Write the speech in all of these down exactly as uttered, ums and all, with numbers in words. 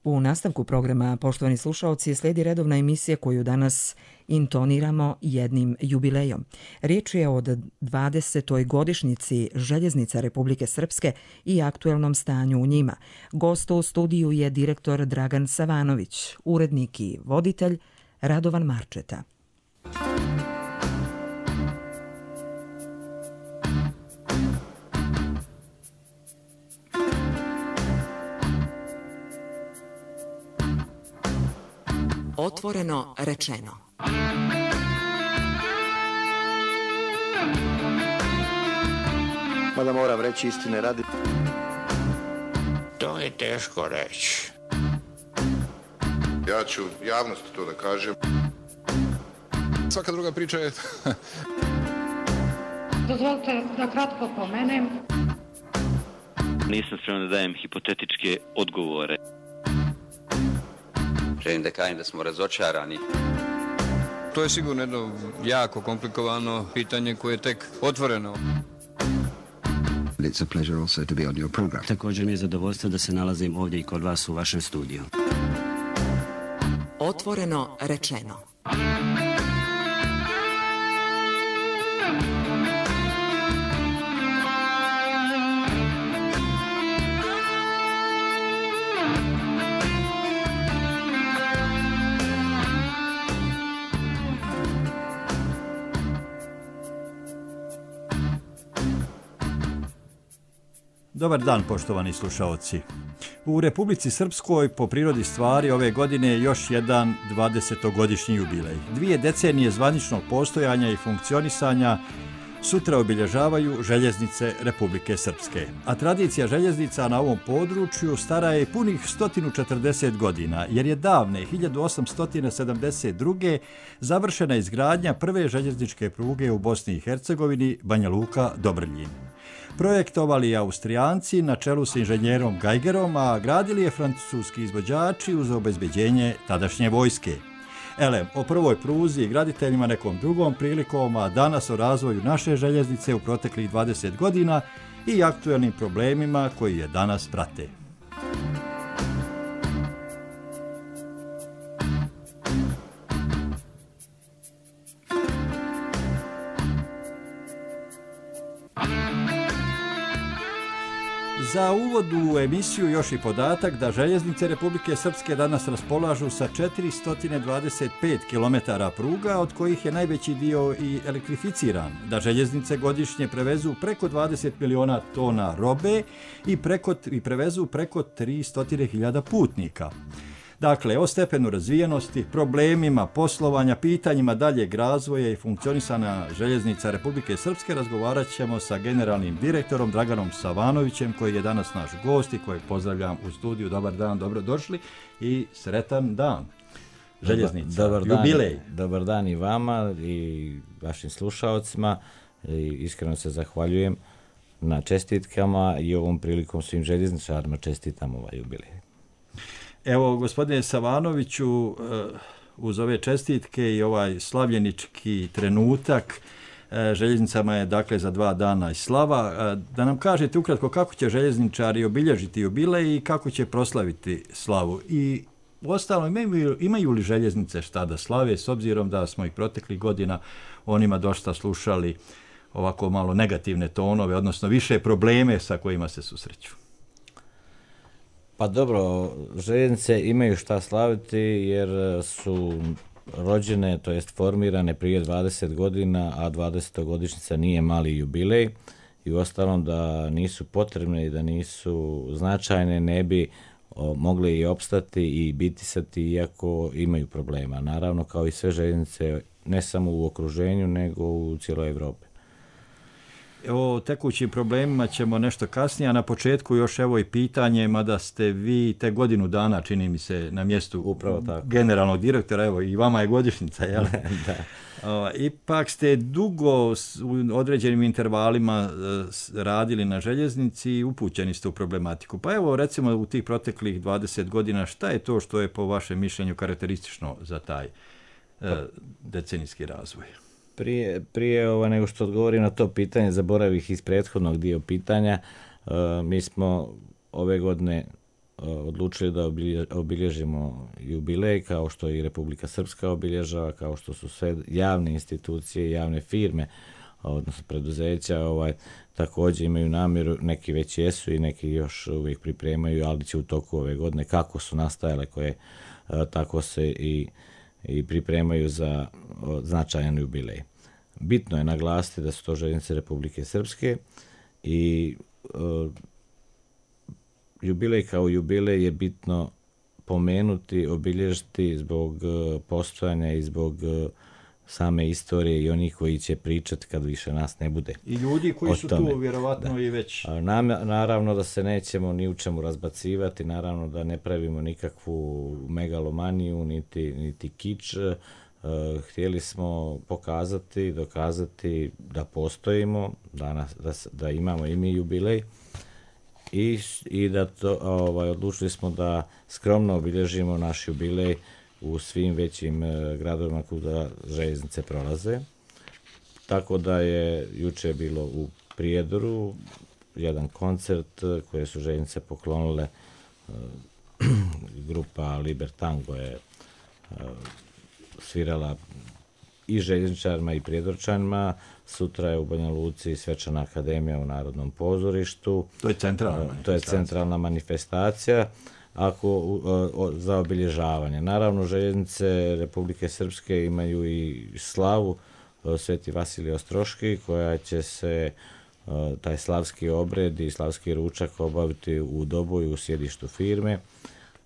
U nastavku programa, poštovani slušaoci, slijedi redovna emisija koju danas intoniramo jednim jubilejom. Riječ je o dvadesetoj godišnjici Željeznica Republike Srpske i aktuelnom stanju u njima. Gost u studiju je direktor Dragan Savanović, urednik i voditelj Radovan Marčeta. Otvoreno rečeno. Mada moram reći istine radi. To je teško reći. Ja ću javnosti to da kažem. Svaka druga priča je... Dozvolite da kratko pomenem. Nisam spreman da dajem hipotetičke odgovore. Želim da kažem da smo razočarani. To je sigurno jedno jako komplikovano pitanje koje je tek otvoreno. It's a pleasure also to be on your program. Također mi je zadovoljstvo da se nalazim ovdje i kod vas u vašem studiju. Otvoreno rečeno. Dobar dan, poštovani slušaoci. U Republici Srpskoj po prirodi stvari ove godine je još jedan dvadesetogodišnji jubilej. Dvije decenije zvaničnog postojanja i funkcionisanja sutra obilježavaju željeznice Republike Srpske. A tradicija željeznica na ovom području stara je punih sto četrdeset godina, jer je davne hiljadu osamsto sedamdeset druge završena izgradnja prve željezničke pruge u Bosni i Hercegovini, Banja Luka – Dobrljin. Projektovali Austrijanci na čelu s inženjerom Geigerom, a gradili je francuski izvođači uz obezbeđenje tadašnje vojske. Elem, o prvoj pruzi i graditeljima nekom drugom prilikom, a danas o razvoju naše željeznice u proteklih dvadeset godina i aktuelnim problemima koji je danas prate. Za uvod u emisiju još i podatak da željeznice Republike Srpske danas raspolažu sa četiristo dvadeset pet kilometara pruga, od kojih je najveći dio i elektrificiran, da željeznice godišnje prevezu preko dvadeset miliona tona robe i, preko, i prevezu preko tristo hiljada putnika. Dakle, o stepenu razvijenosti, problemima poslovanja, pitanjima daljeg razvoja i funkcionisanja željeznica Republike Srpske razgovarat ćemo sa generalnim direktorom Draganom Savanovićem, koji je danas naš gost i kojeg pozdravljam u studiju. Dobar dan, dobrodošli i sretan dan. Željeznica, dobar, dobar jubilej. Dan, dobar dan i vama i vašim slušaocima. I iskreno se zahvaljujem na čestitkama i ovom prilikom svim željezničarima čestitam ovaj jubilej. Evo, gospodine Savanoviću, uz ove čestitke i ovaj slavljenički trenutak, željeznicama je dakle za dva dana i slava. Da nam kažete ukratko kako će željezničari obilježiti jubilej i kako će proslaviti slavu. I uostalom, imaju, imaju li željeznice šta da slave, s obzirom da smo ih proteklih godina o njima dosta slušali ovako malo negativne tonove, odnosno više probleme sa kojima se susreću. Pa dobro, željeznice imaju šta slaviti jer su rođene, to jest formirane prije dvadeset godina, a dvadesetogodišnjica nije mali jubilej i uostalom da nisu potrebne i da nisu značajne ne bi o, mogli i opstati i bitisati iako imaju problema. Naravno, kao i sve željeznice, ne samo u okruženju nego u cijeloj Evropi. O tekućim problemima ćemo nešto kasnije, a na početku još evo i pitanje, mada ste vi te godinu dana, čini mi se, na mjestu Upravo tako. generalnog direktora, evo i vama je godišnjica, jel? Da. O, ipak ste dugo u određenim intervalima radili na željeznici i upućeni ste u problematiku. Pa evo recimo u tih proteklih dvadeset godina, šta je to što je po vašem mišljenju karakteristično za taj e, decenijski razvoj? Prije, prije ovo, nego što odgovorim na to pitanje, zaboravih iz prethodnog dio pitanja, uh, mi smo ove godine odlučili da obilježimo jubilej kao što i Republika Srpska obilježava, kao što su sve javne institucije, javne firme, odnosno preduzeća, ovaj, također imaju namjeru, neki već jesu i neki još uvijek pripremaju, ali će u toku ove godine kako su nastajale, koje tako se i, i pripremaju za značajan jubilej. Bitno je naglasiti da su to željeznice Republike Srpske i uh, jubilej kao jubilej je bitno pomenuti, obilježiti zbog uh, postojanja i zbog uh, same istorije i onih koji će pričati kad više nas ne bude. I ljudi koji su tome. Tu vjerovatno da. I već. Na, naravno da se nećemo ni u čemu razbacivati, naravno da ne pravimo nikakvu megalomaniju, niti, niti kič. Uh, htjeli smo pokazati, dokazati da postojimo, da, nas, da, da imamo i mi jubilej i, i da to, ovaj, odlučili smo da skromno obilježimo naš jubilej u svim većim uh, gradovima kuda željeznice prolaze. Tako da je juče bilo u Prijedoru jedan koncert koje su željeznice poklonile, uh, grupa Libertango je uh, svirala i željezničarima i prijedorčanima. Sutra je u Banja Luci Svečana akademija u Narodnom pozorištu. To je centralna manifestacija. To je centralna manifestacija ako, o, o, za obilježavanje. Naravno, željeznice Republike Srpske imaju i slavu o, Sveti Vasilij Ostroški, koja će se o, taj slavski obred i slavski ručak obaviti u Doboju u sjedištu firme.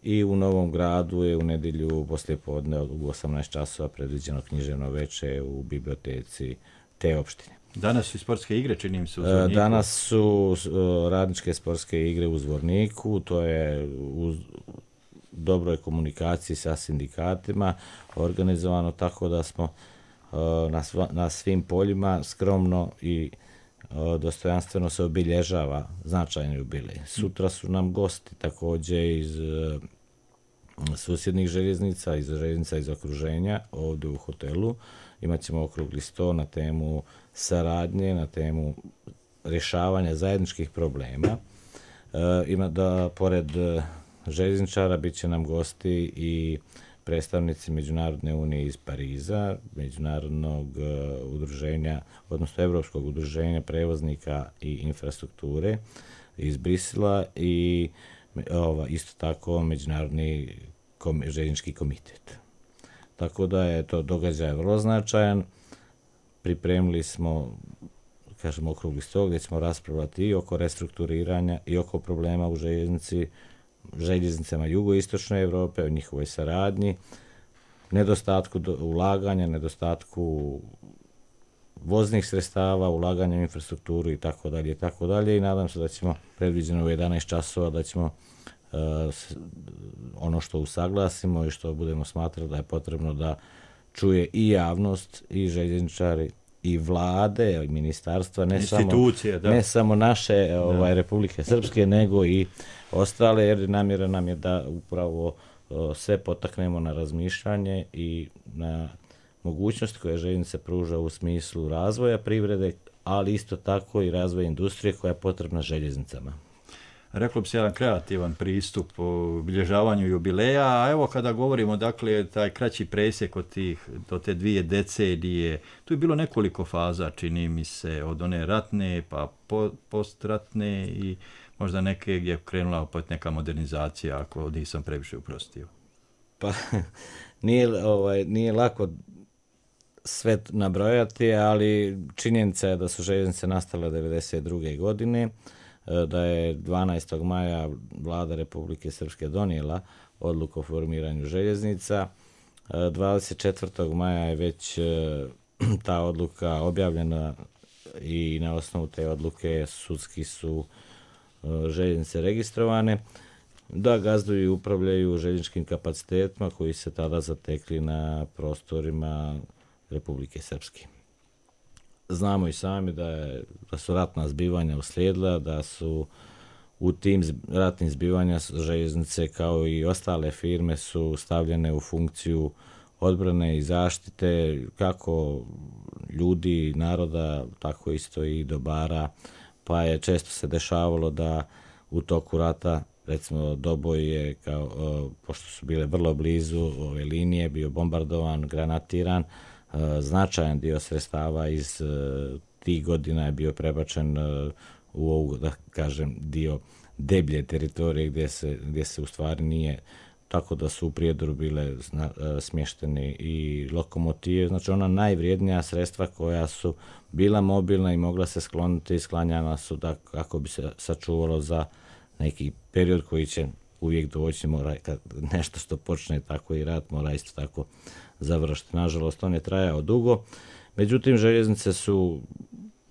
I u Novom Gradu je u nedjelju poslijepodne u osamnaest časova predviđeno književno veče u biblioteci te opštine. Danas su sportske igre, čini mi se, u Zvorniku. Danas su radničke sportske igre u Zvorniku, to je u dobroj komunikaciji sa sindikatima organizovano, tako da smo na, sva, na svim poljima skromno i dostojanstveno se obilježava značajni jubilej. Sutra su nam gosti također iz susjednih željeznica, iz željeznica iz okruženja, ovdje u hotelu. Imaćemo okrugli sto na temu saradnje, na temu rješavanja zajedničkih problema. E, ima da, pored željezničara, bit će nam gosti i predstavnici Međunarodne unije iz Pariza, Međunarodnog uh, udruženja, odnosno Evropskog udruženja prevoznika i infrastrukture iz Brisela i ova, isto tako Međunarodni kom, željeznički komitet. Tako da je to događaj vrlo značajan. Pripremili smo, kažemo, okrugli stol gdje ćemo raspravljati i oko restrukturiranja i oko problema u željeznici, željeznicama jugoistočne Europe, o njihovoj saradnji, nedostatku ulaganja, nedostatku voznih sredstava, ulaganja u infrastrukturu i tako dalje i tako dalje i nadam se da ćemo predviđeno u jedanaest časova da ćemo uh, ono što usaglasimo i što budemo smatrati da je potrebno da čuje i javnost i željezničari i vlade, i ministarstva, ne samo, da. ne samo naše ovaj, Republike Srpske, nego i ostale, jer namjera nam je da upravo o, sve potaknemo na razmišljanje i na mogućnost koje željeznice pruža u smislu razvoja privrede, ali isto tako i razvoja industrije koja je potrebna željeznicama. Reklo bi se jedan kreativan pristup u obilježavanju jubileja, a evo kada govorimo, dakle, taj kraći presjek od tih, do te dvije decenije, tu je bilo nekoliko faza, čini mi se, od one ratne pa po, postratne i možda neke gdje je krenula opet neka modernizacija, ako nisam previše uprostio. Pa, nije, ovaj, nije lako sve nabrojati, ali činjenica je da su željeznice nastale devedeset druge godine, da je dvanaestog maja vlada Republike Srpske donijela odluku o formiranju željeznica. dvadeset četvrtog maja je već ta odluka objavljena i na osnovu te odluke sudski su željeznice registrovane da gazduju i upravljaju željezničkim kapacitetima koji se tada zatekli na prostorima Republike Srpske. Znamo i sami da, je, da su ratna zbivanja uslijedila, da su u tim ratnim zbivanja željeznice kao i ostale firme su stavljene u funkciju odbrane i zaštite kako ljudi, naroda, tako isto i dobara, pa je često se dešavalo da u toku rata recimo Doboj je, kao, pošto su bile vrlo blizu ove linije, bio bombardovan, granatiran, značajan dio sredstava iz tih godina je bio prebačen u ovu, da kažem, dio deblje teritorije gdje se, gdje se u stvari nije, tako da su u Prijedoru bile zna, smješteni i lokomotive, znači ona najvrijednija sredstva koja su bila mobilna i mogla se skloniti, sklanjana su da kako bi se sačuvalo za neki period koji će uvijek doći, mora, kad nešto što počne tako i rat, mora isto tako završiti. Nažalost, on je trajao dugo, međutim, željeznice su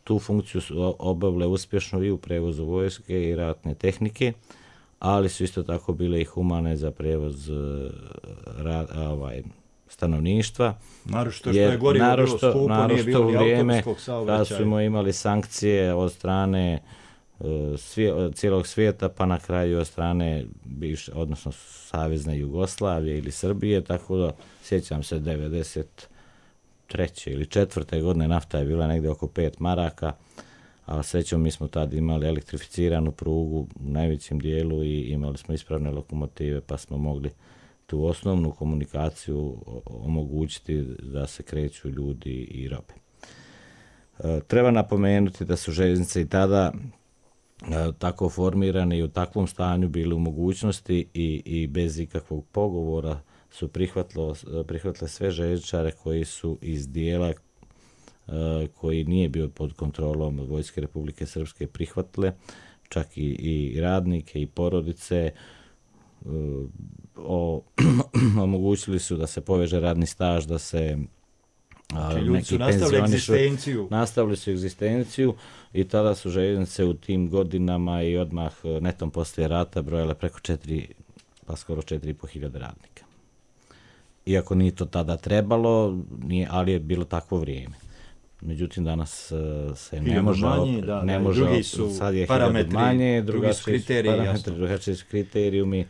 tu funkciju obavile uspješno i u prevozu vojske i ratne tehnike, ali su isto tako bile i humane za prevoz ra, ovaj, stanovništva. Narošto što je gorivo bilo skupo, nije bilo ni autobuskog saobraćaja. Kad smo imali sankcije od strane svije, cijelog svijeta, pa na kraju od strane bivše, odnosno Savezne Jugoslavije ili Srbije, tako da sjećam se devedeset treće ili četvrte godine nafta je bila negdje oko pet maraka, a srećom mi smo tad imali elektrificiranu prugu u najvećem dijelu i imali smo ispravne lokomotive, pa smo mogli tu osnovnu komunikaciju omogućiti da se kreću ljudi i robe. E, treba napomenuti da su željeznice i tada e, tako formirane i u takvom stanju bili u mogućnosti i, i bez ikakvog pogovora su prihvatile sve željezničare koji su iz dijela uh, koji nije bio pod kontrolom Vojske Republike Srpske prihvatile, čak i, i radnike i porodice. Uh, o, omogućili su da se poveže radni staž, da se uh, ljudi su nastavili egzistenciju. Nastavili su egzistenciju i tada su željeznice u tim godinama i odmah netom poslije rata brojale preko četiri, pa skoro četiri i po hiljade radnika. Iako nije to tada trebalo, nije, ali je bilo takvo vrijeme. Međutim, danas uh, se ne može, manje, da, ne da, može, drugi su sad je parametri, manje, drugi su kriteriji, parametri, drugačiji su kriterijumi.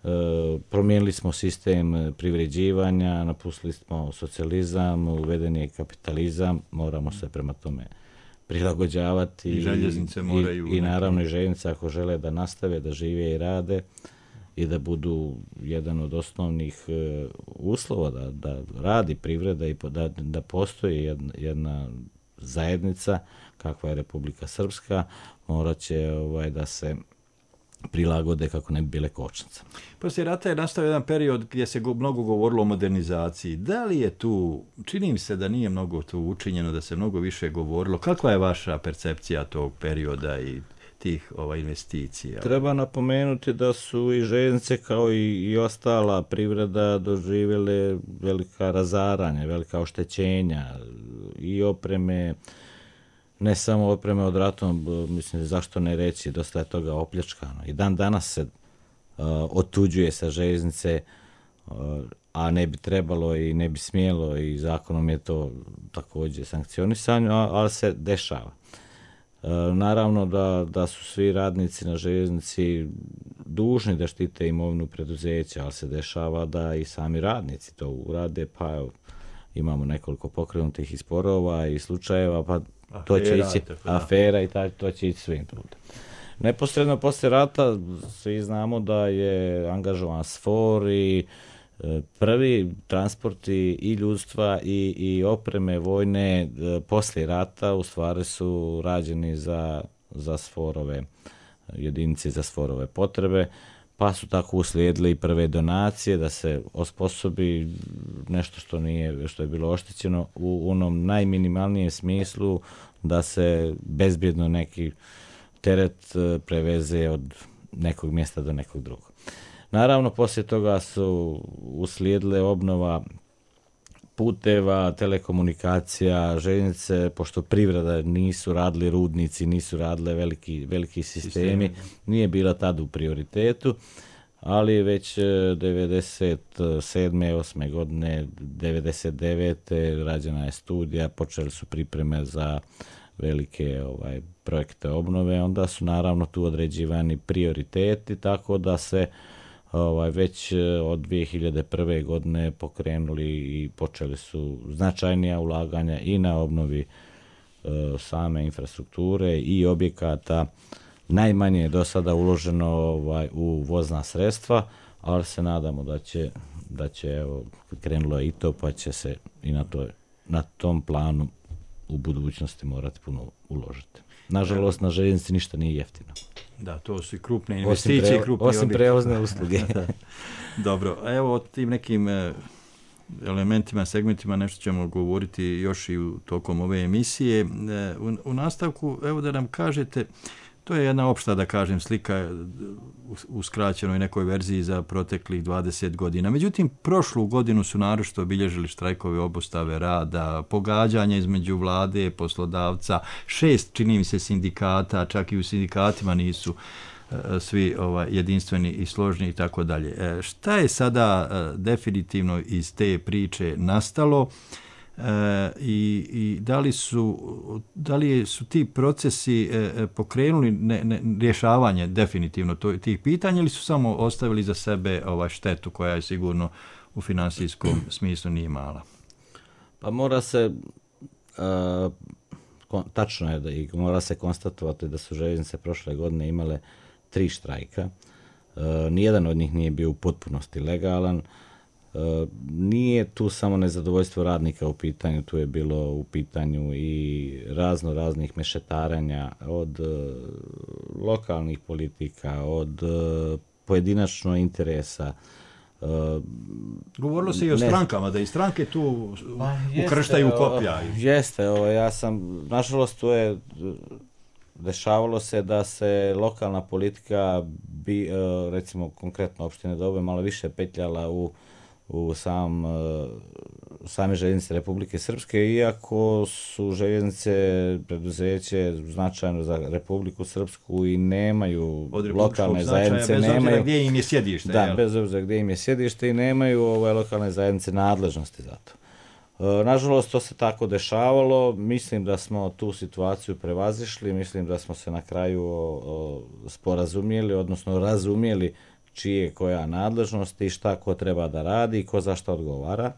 Uh, promijenili smo sistem privređivanja, napustili smo socijalizam, uveden je kapitalizam, moramo se prema tome prilagođavati. I željeznice moraju. I, i naravno i željeznice ako žele da nastave, da žive i rade, i da budu jedan od osnovnih uh, uslova da, da radi privreda i da, da postoji jedna, jedna zajednica kakva je Republika Srpska, morat će ovaj, da se prilagode kako ne bi bile kočnice. Poslije rata je nastao jedan period gdje se go, mnogo govorilo o modernizaciji. Da li je tu, čini mi se da nije mnogo tu učinjeno, da se mnogo više govorilo. Kakva je vaša percepcija tog perioda i tih ova, investicija? Treba napomenuti da su i željeznice kao i, i ostala privreda doživjele velika razaranja, velika oštećenja i opreme, ne samo opreme od ratom, mislim, zašto ne reći, dosta je toga opljačkano. I dan danas se uh, otuđuje sa željeznice, uh, a ne bi trebalo i ne bi smjelo i zakonom je to također sankcionisano, ali se dešava. Uh, naravno da, da su svi radnici na željeznici dužni da štite imovinu preduzeća, ali se dešava da i sami radnici to urade, pa evo, imamo nekoliko pokrenutih i sporova i slučajeva, pa to će ići afera i taj, to će ići svim putem. Neposredno poslije rata svi znamo da je angažovan SFOR i e, prvi transporti i ljudstva i, i opreme vojne e, poslije rata u stvari su rađeni za, za SFOR-ove jedinice, za SFOR-ove potrebe, pa su tako uslijedile i prve donacije da se osposobi nešto što nije, što je bilo oštećeno u onom najminimalnijem smislu, da se bezbjedno neki teret preveze od nekog mjesta do nekog drugog. Naravno, poslije toga su uslijedile obnova puteva, telekomunikacija, željeznice, pošto privreda nisu radili rudnici, nisu radile veliki, veliki sistemi, nije bila tad u prioritetu, ali već devedeset sedme osme godine, devedeset devete rađena je studija, počeli su pripreme za velike ovaj, projekte obnove, onda su naravno tu određivani prioriteti, tako da se ovaj, već od dvije hiljade prve godine pokrenuli i počeli su značajnija ulaganja i na obnovi e, same infrastrukture i objekata, najmanje je do sada uloženo ovaj, u vozna sredstva, ali se nadamo da će, da će evo, krenulo i to, pa će se i na, to, na tom planu u budućnosti morati puno uložiti. Nažalost, na željeznici ništa nije jeftino. Da, to su i krupne investicije. Osim, pre, krupni osim prevozne usluge. Dobro, evo o tim nekim elementima, segmentima nešto ćemo govoriti još i u tokom ove emisije. U, u nastavku, evo da nam kažete, to je jedna opšta, da kažem, slika u skraćenoj nekoj verziji za proteklih dvadeset godina. Međutim, prošlu godinu su naročito obilježili štrajkove, obustave rada, pogađanja između vlade, poslodavca, šest, čini mi se, sindikata, čak i u sindikatima nisu svi ovaj, jedinstveni i složni i tako dalje. Šta je sada definitivno iz te priče nastalo? E, i, i da li su da li su ti procesi e, pokrenuli ne, ne, rješavanje definitivno to, tih pitanja ili su samo ostavili za sebe ovaj štetu koja je sigurno u finansijskom smislu nije mala? Pa mora se uh, kon, tačno je da i mora se konstatovati da su željeznice prošle godine imale tri štrajka. Uh, nijedan od njih nije bio u potpunosti legalan. Uh, nije tu samo nezadovoljstvo radnika u pitanju, tu je bilo u pitanju i razno raznih mešetaranja od uh, lokalnih politika, od uh, pojedinačno interesa. Uh, Govorilo se i o ne, strankama, da i stranke tu ukrštaju koplja. Jeste, ovo, ja sam, nažalost, tu je dešavalo se da se lokalna politika, bi, uh, recimo konkretno opštine Doboje, malo više petljala u u sam, same željeznice Republike Srpske, iako su željeznice preduzeće značajno za Republiku Srpsku i nemaju lokalne zajednice, bez nemaju, obzira gdje im je sjedište. Da, jel? bez obzira gdje im je sjedište i nemaju ovaj, lokalne zajednice nadležnosti za to. E, nažalost, to se tako dešavalo. Mislim da smo tu situaciju prevazišli, mislim da smo se na kraju o, o, sporazumjeli, odnosno razumjeli čije koja nadležnost i šta ko treba da radi i ko za šta odgovara.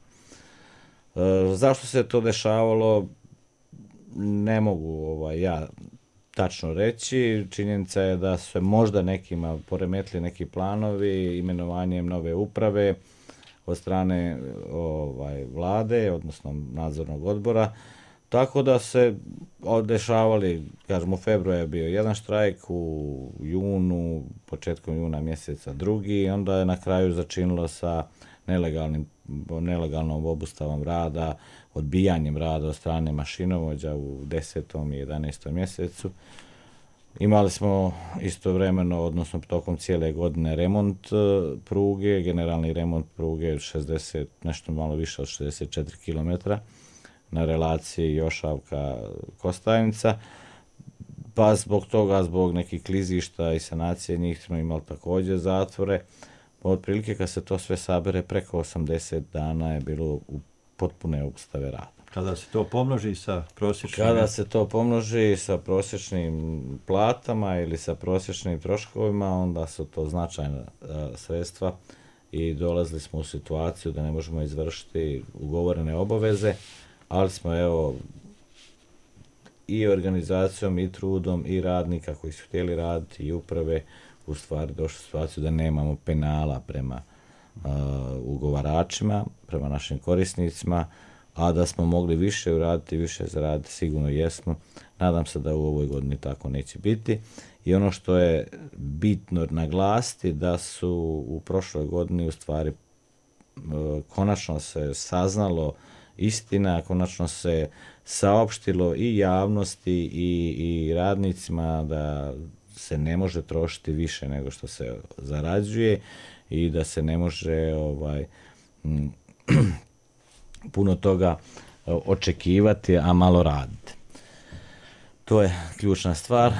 E, zašto se to dešavalo, ne mogu ovaj, ja tačno reći. Činjenica je da su se možda nekima poremetili neki planovi imenovanjem nove uprave od strane ovaj, vlade, odnosno nadzornog odbora. Tako da se dešavali, kažem, u februaru je bio jedan štrajk, u junu, početkom juna mjeseca drugi, i onda je na kraju začinilo sa nelegalnim, nelegalnom obustavom rada, odbijanjem rada od strane mašinovođa u desetom i jedanaestom mjesecu. Imali smo istovremeno, odnosno tokom cijele godine, remont pruge, generalni remont pruge šezdeset, nešto malo više od šezdeset četiri kilometra. Na relaciji Jošavka-Kostajnica, pa zbog toga, zbog nekih klizišta i sanacije njih smo imali također zatvore. Otprilike kad se to sve sabere, preko osamdeset dana je bilo u potpune obustave rada. Kada se to pomnoži sa prosječnim... Kada se to pomnoži sa prosječnim platama ili sa prosječnim troškovima, onda su to značajna a, sredstva i dolazili smo u situaciju da ne možemo izvršiti ugovorene obaveze, ali smo evo i organizacijom i trudom i radnika koji su htjeli raditi i uprave u stvari došli u situaciju da nemamo penala prema uh, ugovaračima, prema našim korisnicima, a da smo mogli više uraditi, više zaraditi, sigurno jesmo. Nadam se da u ovoj godini tako neće biti. I ono što je bitno naglasiti da su u prošloj godini u stvari uh, konačno se saznalo istina, konačno se saopštilo i javnosti i, i radnicima da se ne može trošiti više nego što se zarađuje i da se ne može ovaj, m, puno toga očekivati, a malo raditi. To je ključna stvar.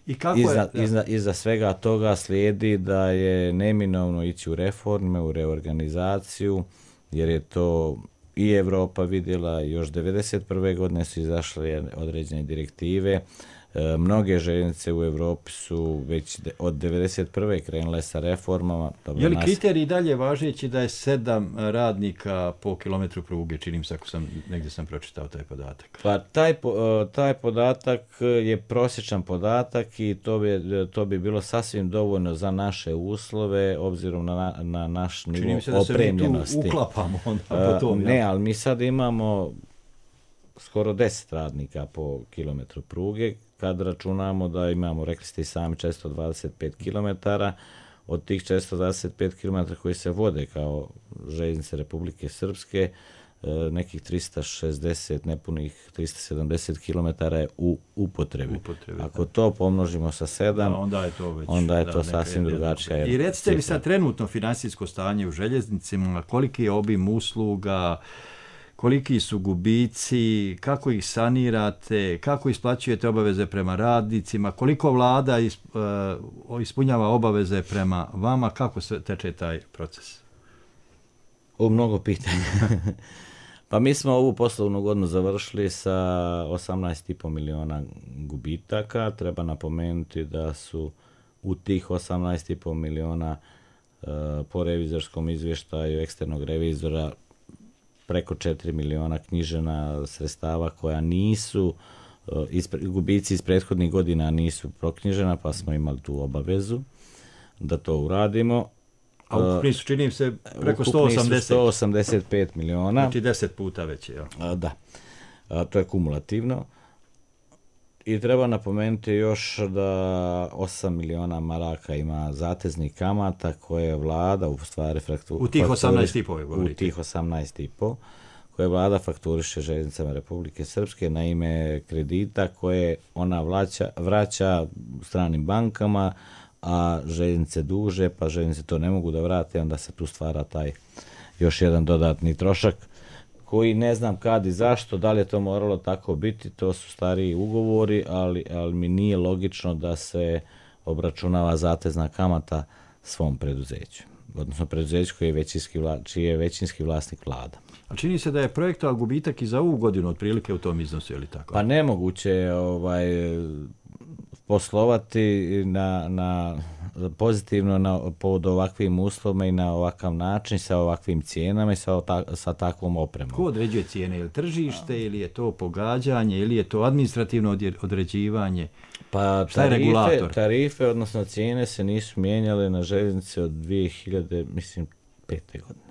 I kako iza, je? Iza, iza svega toga slijedi da je neminovno ići u reforme, u reorganizaciju, jer je to i Evropa vidjela, još devedeset prve godine su izašle određene direktive, E, mnoge željeznice u Evropi su već de, od devedeset prve krenule sa reformama. Dobro, je li nas... kriterij dalje važeći da je sedam radnika po kilometru pruge, činim se ako sam, negdje sam pročitao taj podatak? Pa taj, taj podatak je prosječan podatak i to bi, to bi bilo sasvim dovoljno za naše uslove, obzirom na, na naš nivo Čini mi se da opremljenosti. Se mi tu uklapamo onda po tom. Ne, ali mi sad imamo skoro deset radnika po kilometru pruge, kad računamo da imamo, rekli ste i sami, četiristo dvadeset pet kilometara, od tih četiristo dvadeset pet kilometara koji se vode kao željeznice Republike Srpske, nekih trista šezdeset, nepunih trista sedamdeset kilometara je u upotrebi. upotrebi Ako to pomnožimo sa sedam, da, onda je to, već, onda je da, to sasvim drugačija. I recite mi sad trenutno finansijsko stanje u željeznicima, koliki je obim usluga, koliki su gubici, kako ih sanirate, kako isplaćujete obaveze prema radnicima, koliko vlada ispunjava obaveze prema vama, kako se teče taj proces? U mnogo pitanja. Pa mi smo ovu poslovnu godinu završili sa osamnaest i po miliona gubitaka. Treba napomenuti da su u tih osamnaest i po miliona uh, po revizorskom izvještaju eksternog revizora preko četiri miliona knjižena sredstava koja nisu, uh, ispre, gubici iz prethodnih godina nisu proknjižena, pa smo imali tu obavezu da to uradimo. A ukupni su, činim se, preko sto osamdeset. sto osamdeset pet miliona. Znači deset puta već je. A, da, a, to je kumulativno. I treba napomenuti još da osam miliona maraka ima zateznih kamata koje je vlada u stvari fraktu, u tih osamnaest i po govorite. U tih osamnaest i po koje vlada fakturiše željeznicama Republike Srpske na ime kredita koje ona vraća, vraća stranim bankama, a željeznice duže, pa željeznice to ne mogu da vrate, onda se tu stvara taj još jedan dodatni trošak koji ne znam kad i zašto, da li je to moralo tako biti, to su stariji ugovori, ali, ali mi nije logično da se obračunava zatezna kamata svom preduzeću, odnosno preduzeću koji je većinski, vla, čiji je većinski vlasnik vlada. A čini se da je projektovan gubitak i za ovu godinu otprilike u tom iznosu, je li tako? Pa nemoguće je ovaj, poslovati na, na pozitivno na, pod ovakvim uslovima i na ovakav način, sa ovakvim cijenama i sa, sa takvom opremom. Ko određuje cijene? Je li tržište ili je to pogađanje ili je to administrativno određivanje? Pa šta je tarife, regulator? Tarife, odnosno cijene se nisu mijenjale na željeznici od dvije hiljade pete godine.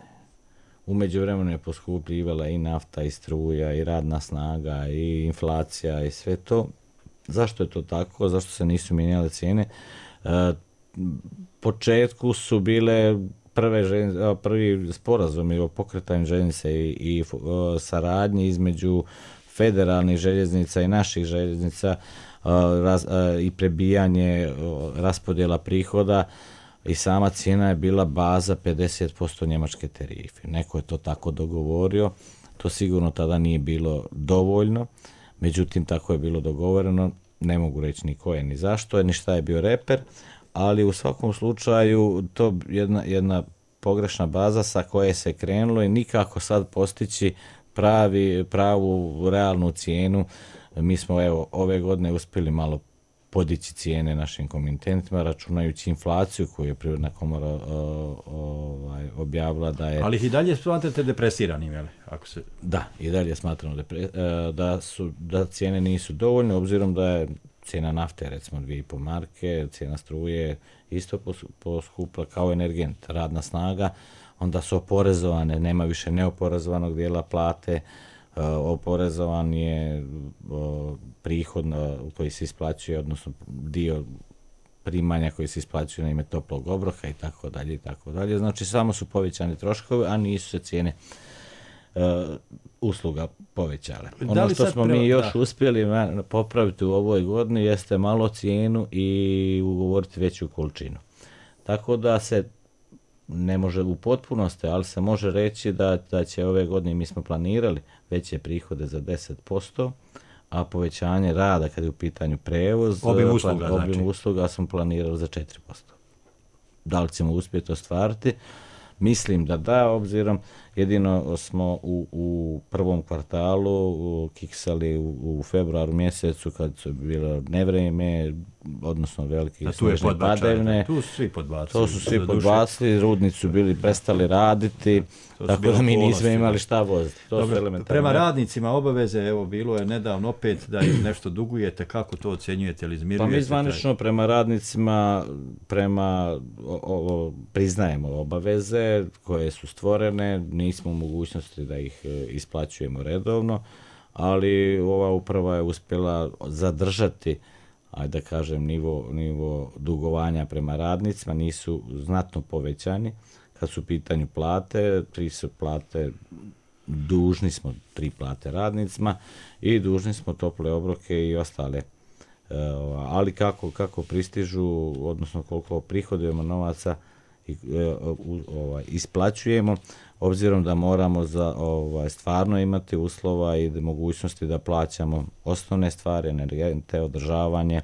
U međuvremenu je poskupljivala i nafta, i struja, i radna snaga, i inflacija, i sve to. Zašto je to tako? Zašto se nisu mijenjale cijene? E, početku su bile prve željenice, prvi sporazumi o pokretanju željeznice i, i o, saradnji između federalnih željeznica i naših željeznica o, raz, o, i prebijanje o, raspodjela prihoda i sama cijena je bila baza pedeset posto njemačke tarife. Neko je to tako dogovorio, to sigurno tada nije bilo dovoljno. Međutim, tako je bilo dogovoreno, ne mogu reći ni ko je, ni zašto je, ni šta je bio reper, ali u svakom slučaju to je jedna, jedna pogrešna baza sa koje se krenulo i nikako sad postići pravi, pravu, realnu cijenu. Mi smo evo ove godine uspjeli malo podići cijene našim komitentima, računajući inflaciju koju je Privredna komora o, ovaj, objavila da je... Ali ih i dalje smatrate depresiranim, jel? Ako se... Da, i dalje smatramo depre, da, su, da cijene nisu dovoljne, obzirom da je cijena nafte, recimo dvije i po marke, cijena struje isto poskupla kao energent, radna snaga, onda su oporezovane, nema više neoporezovanog dijela plate, oporezovan je prihod koji se isplaćuje, odnosno dio primanja koji se isplaćuje na ime toplog obroka i tako dalje i tako dalje. Znači samo su povećani troškovi, a nisu se cijene uh, usluga povećale. Ono što smo mi još da. uspjeli popraviti u ovoj godini jeste malo cijenu i ugovoriti veću količinu. Tako da se ne može u potpunosti, ali se može reći da, da će ove godine, mi smo planirali veće prihode za deset posto, a povećanje rada kad je u pitanju prevoz, obim usluga, plan, obim znači. usluga smo planirali za četiri posto. Da li ćemo uspjeti ostvariti? Mislim da da, obzirom jedino smo u, u prvom kvartalu kiksali u, u februaru mjesecu kad su bilo nevrijeme, odnosno velike snežne padavine. Tu su svi podbacili. To su svi podbacili, rudnici su bili prestali raditi, tako da mi nismo imali šta voziti. Prema radnicima obaveze, evo bilo je nedavno opet da im nešto dugujete, kako to ocjenjujete ili izmirujete? Pa mi zvanično prema radnicima, prema o, o, priznajemo obaveze koje su stvorene, nismo u mogućnosti da ih isplaćujemo redovno, ali ova uprava je uspjela zadržati, ajde da kažem, nivo, nivo dugovanja prema radnicima, nisu znatno povećani. Kad su u pitanju plate, tri su plate, dužni smo tri plate radnicima i dužni smo tople obroke i ostale. E, ali kako, kako pristižu, odnosno koliko prihodujemo novaca i e, ovaj, isplaćujemo, obzirom da moramo za ovaj, stvarno imati uslova i mogućnosti da plaćamo osnovne stvari, energente, održavanje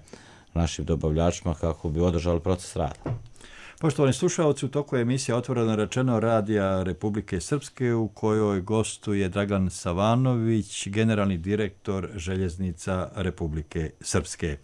našim dobavljačima kako bi održali proces rada. Poštovani slušalci, u toku je emisija Otvoreno rečeno Radija Republike Srpske u kojoj gostuje Dragan Savanović, generalni direktor Željeznica Republike Srpske.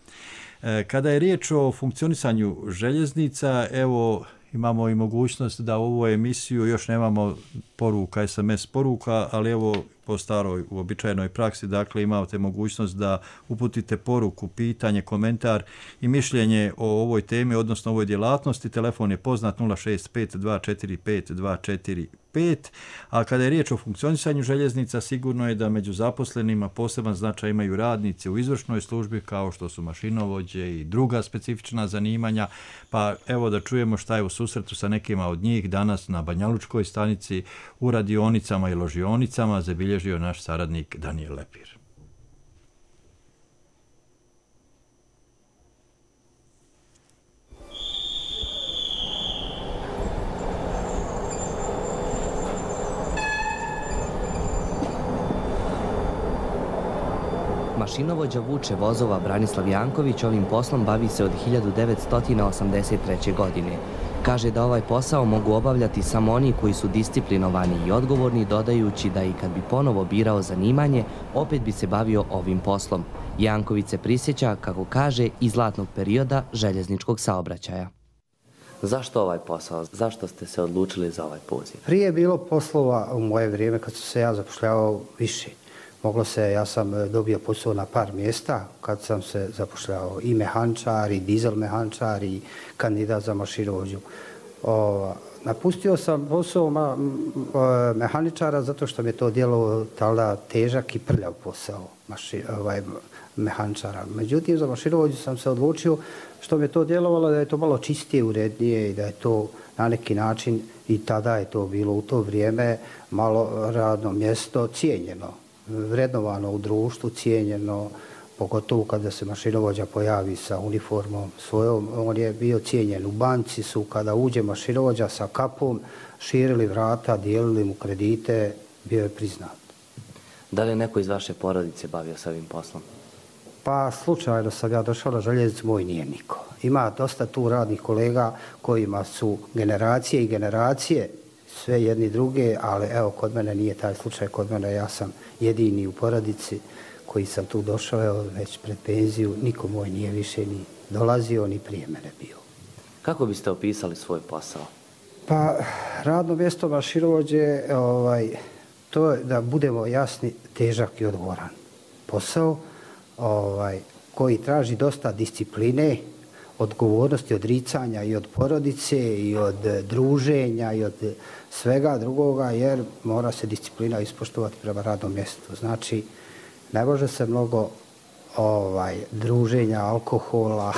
Kada je riječ o funkcionisanju željeznica, evo imamo i mogućnost da u ovu emisiju još nemamo poruka, es em es poruka, ali evo po staroj uobičajenoj praksi, dakle imate mogućnost da uputite poruku, pitanje, komentar i mišljenje o ovoj temi, odnosno ovoj djelatnosti. Telefon je poznat nula šest pet dva četiri pet dva četiri pet, a kada je riječ o funkcionisanju željeznica, sigurno je da među zaposlenima poseban značaj imaju radnici u izvršnoj službi, kao što su mašinovođe i druga specifična zanimanja, pa evo da čujemo šta je u susretu sa nekima od njih danas na Banjalučkoj stanici u radionicama i ložionicama zabilježio naš saradnik Danijel Lepir. Mašinovođa vuče vozova Branislav Janković ovim poslom bavi se od hiljadu devetsto osamdeset treće. godine. Kaže da ovaj posao mogu obavljati samo oni koji su disciplinovani i odgovorni, dodajući da i kad bi ponovo birao zanimanje, opet bi se bavio ovim poslom. Janković se prisjeća, kako kaže, iz zlatnog perioda željezničkog saobraćaja. Zašto ovaj posao? Zašto ste se odlučili za ovaj poziv? Prije je bilo poslova u moje vrijeme kad sam se ja zapošljavao više. Moglo se, ja sam dobio posao na par mjesta kad sam se zapošljavao i mehančar, i dizel mehančar, i kandidat za mašinovođu. Napustio sam posao ma, mehaničara zato što mi je to djelo tada težak i prljav posao maši, ovaj, mehančara. Međutim, za mašinovođu sam se odlučio što mi je to djelovalo da je to malo čistije, urednije i da je to na neki način, i tada je to bilo u to vrijeme, malo radno mjesto cijenjeno, vrednovano u društvu, cijenjeno, pogotovo kada se mašinovođa pojavi sa uniformom svojom. On je bio cijenjen. U banci su, kada uđe mašinovođa sa kapom, širili vrata, dijelili mu kredite, bio je priznat. Da li je neko iz vaše porodice bavio sa ovim poslom? Pa slučajno sam ja došao na željeznicu, moj nije niko. Ima dosta tu radnih kolega kojima su generacije i generacije, sve jedni druge, ali evo, kod mene nije taj slučaj, kod mene ja sam jedini u porodici koji sam tu došao, evo, već pred penziju, niko moj nije više ni dolazio, ni prije mene bio. Kako biste opisali svoj posao? Pa, radno mjesto mašinovođe, ovaj, to je, da budemo jasni, težak i odgovoran posao, ovaj, koji traži dosta discipline, odgovornosti, odricanja i od porodice, i od druženja, i od svega drugoga, jer mora se disciplina ispoštovati prema radnom mjestu. Znači, ne može se mnogo ovaj, druženja, alkohola,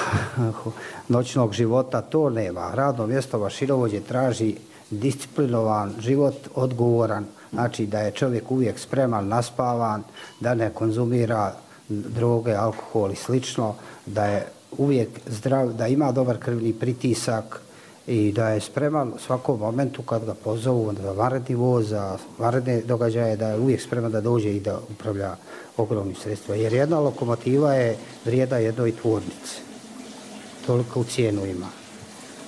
noćnog života, to nema. Radno mjesto mašinovođe traži disciplinovan život, odgovoran, znači da je čovjek uvijek spreman, naspavan, da ne konzumira droge, alkohol i slično, da je uvijek zdrav, da ima dobar krvni pritisak i da je spreman u svakom momentu kad ga pozovu za vanredni voz, za vanredne događaje, da je uvijek spreman da dođe i da upravlja ogromnim sredstvima. Jer jedna lokomotiva je vrijeda jednoj tvornici. Toliko u cijenu ima.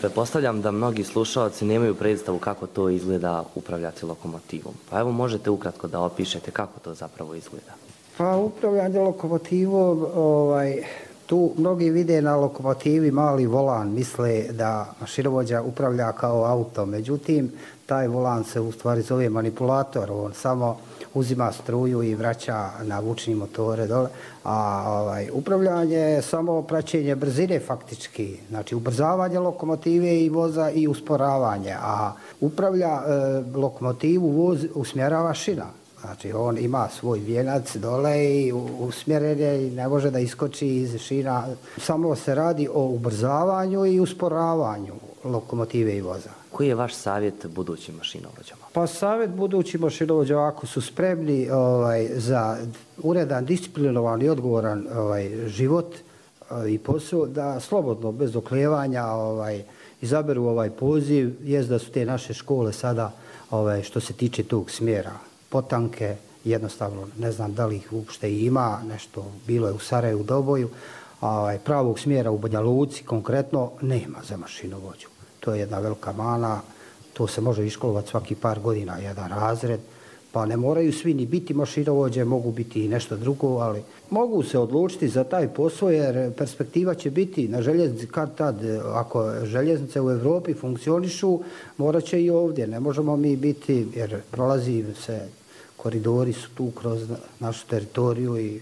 Pretpostavljam da mnogi slušalci nemaju predstavu kako to izgleda upravljati lokomotivom. Pa evo možete ukratko da opišete kako to zapravo izgleda. Pa upravljanje lokomotivom, ovaj, tu mnogi vide na lokomotivi mali volan, misle da mašinovođa upravlja kao auto. Međutim, taj volan se u stvari zove manipulator, on samo uzima struju i vraća na vučni motore dole, a ovaj, upravljanje je samo praćenje brzine faktički, znači ubrzavanje lokomotive i voza i usporavanje, a upravlja e, lokomotivu voz usmjerava šina. Znači on ima svoj vijenac dole i usmjeren je i ne može da iskoči iz šina. Samo se radi o ubrzavanju i usporavanju lokomotive i voza. Koji je vaš savjet budućim mašinovođama? Pa savjet budućim mašinovođama, ako su spremni ovaj, za uredan, disciplinovan i odgovoran ovaj, život i posao, da slobodno, bez oklijevanja ovaj, izaberu ovaj poziv. Jest da su te naše škole sada, ovaj, što se tiče tog smjera, potanke, jednostavno ne znam da li ih uopšte ima, nešto bilo je u Sarajevu, u Doboju, ovaj, pravog smjera u Banja Luci konkretno nema za mašinovođu. To je jedna velika mana, to se može iškolovati svaki par godina, jedan razred, pa ne moraju svi ni biti mašinovođe, mogu biti i nešto drugo, ali mogu se odlučiti za taj posao jer perspektiva će biti na željeznici kad tad, ako željeznice u Evropi funkcionišu, morat će i ovdje, ne možemo mi biti, jer prolazi se, koridori su tu kroz našu teritoriju i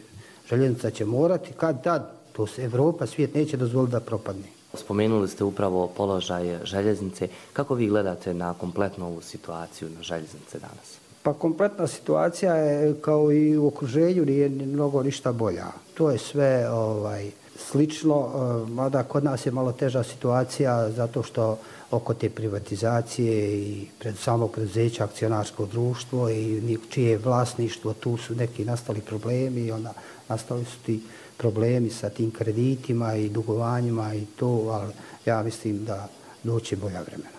željeznica će morati kad tad, to se Evropa, svijet neće dozvoliti da propadne. Spomenuli ste upravo položaj željeznice. Kako vi gledate na kompletnu ovu situaciju na željeznice danas? Pa kompletna situacija je kao i u okruženju nije mnogo ništa bolja. To je sve ovaj, slično, mada kod nas je malo teža situacija zato što oko te privatizacije i pred samog preduzeća akcionarsko društvo i čije je vlasništvo, tu su neki nastali problemi i onda nastali su ti problemi sa tim kreditima i dugovanjima i to, ali ja mislim da doće bolja vremena.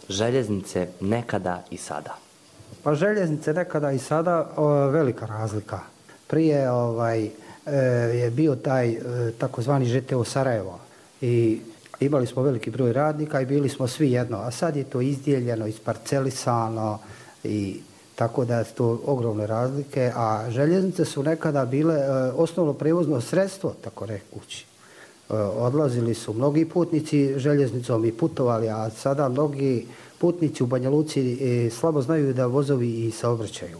Željeznice nekada i sada. Pa željeznice nekada i sada o, velika razlika. Prije ovaj, e, je bio taj e, takozvani Ž T O Sarajevo i imali smo veliki broj radnika i bili smo svi jedno, a sad je to izdijeljeno, isparcelisano i tako da je to ogromne razlike, a željeznice su nekada bile e, osnovno prevozno sredstvo, tako rekući. E, odlazili su mnogi putnici željeznicom i putovali, a sada mnogi putnici u Banja Luci e, slabo znaju da vozovi i saobraćaju.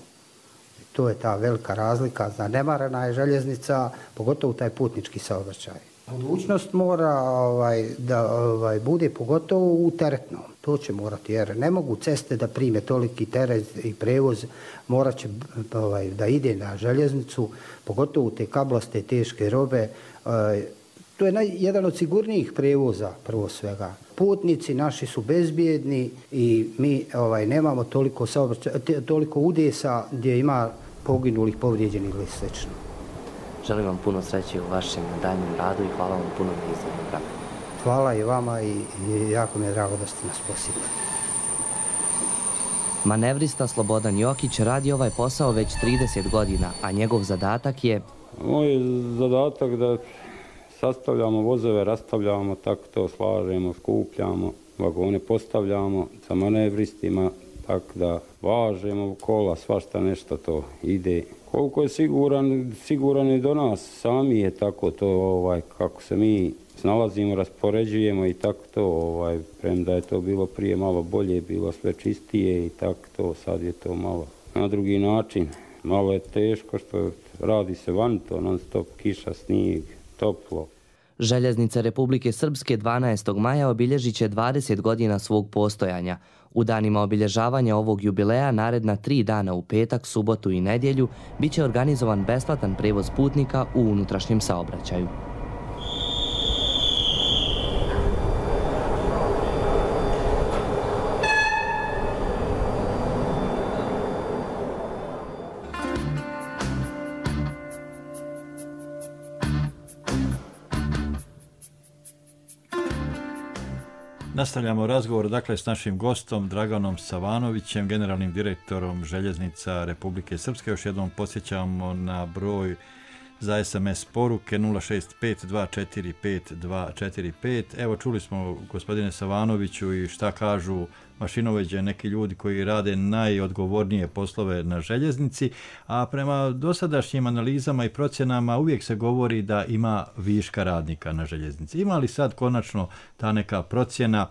To je ta velika razlika, zanemarena je željeznica, pogotovo taj putnički saobraćaj. Budućnost mora ovaj, da ovaj, bude pogotovo u teretnom. To će morati, jer ne mogu ceste da prime toliki teret i prevoz, morat će ovaj, da ide na željeznicu, pogotovo te kablaste, teške robe. Ovaj, to je naj, jedan od sigurnijih prevoza, prvo svega. Putnici naši su bezbjedni i mi ovaj, nemamo toliko, toliko udesa gdje ima poginulih, povrijeđenih ili slično. Želim vam puno sreće u vašem daljnjem radu i hvala vam puno na izdvojenom vremenu. Hvala i vama i, i jako mi je drago da ste nas posjetili. Manevrista Slobodan Jokić radi ovaj posao već trideset godina, a njegov zadatak je... Moj zadatak da sastavljamo vozove, rastavljamo, tako to slažemo, skupljamo, vagone postavljamo sa manevristima, tako da važemo kola, svašta nešto to ide. Koliko je siguran, siguran i do nas, sami je tako to, ovaj, kako se mi snalazimo, raspoređujemo i tako to, ovaj, premda je to bilo prije malo bolje, bilo sve čistije i tako to, sad je to malo na drugi način. Malo je teško što radi se van to, non stop kiša, snijeg, toplo. Željeznice Republike Srpske dvanaestog maja obilježit će dvadeset godina svog postojanja. U danima obilježavanja ovog jubileja naredna tri dana u petak, subotu i nedjelju bit će organizovan besplatan prevoz putnika u unutrašnjem saobraćaju. Nastavljamo razgovor dakle s našim gostom Draganom Savanovićem, generalnim direktorom Željeznica Republike Srpske. Još jednom podsjećamo na broj za es em es poruke nula šest pet dva četiri pet dva četiri pet. Evo, čuli smo, gospodine Savanoviću, i šta kažu mašinovođe, neki ljudi koji rade najodgovornije poslove na željeznici, a prema dosadašnjim analizama i procjenama uvijek se govori da ima viška radnika na željeznici. Ima li sad konačno ta neka procjena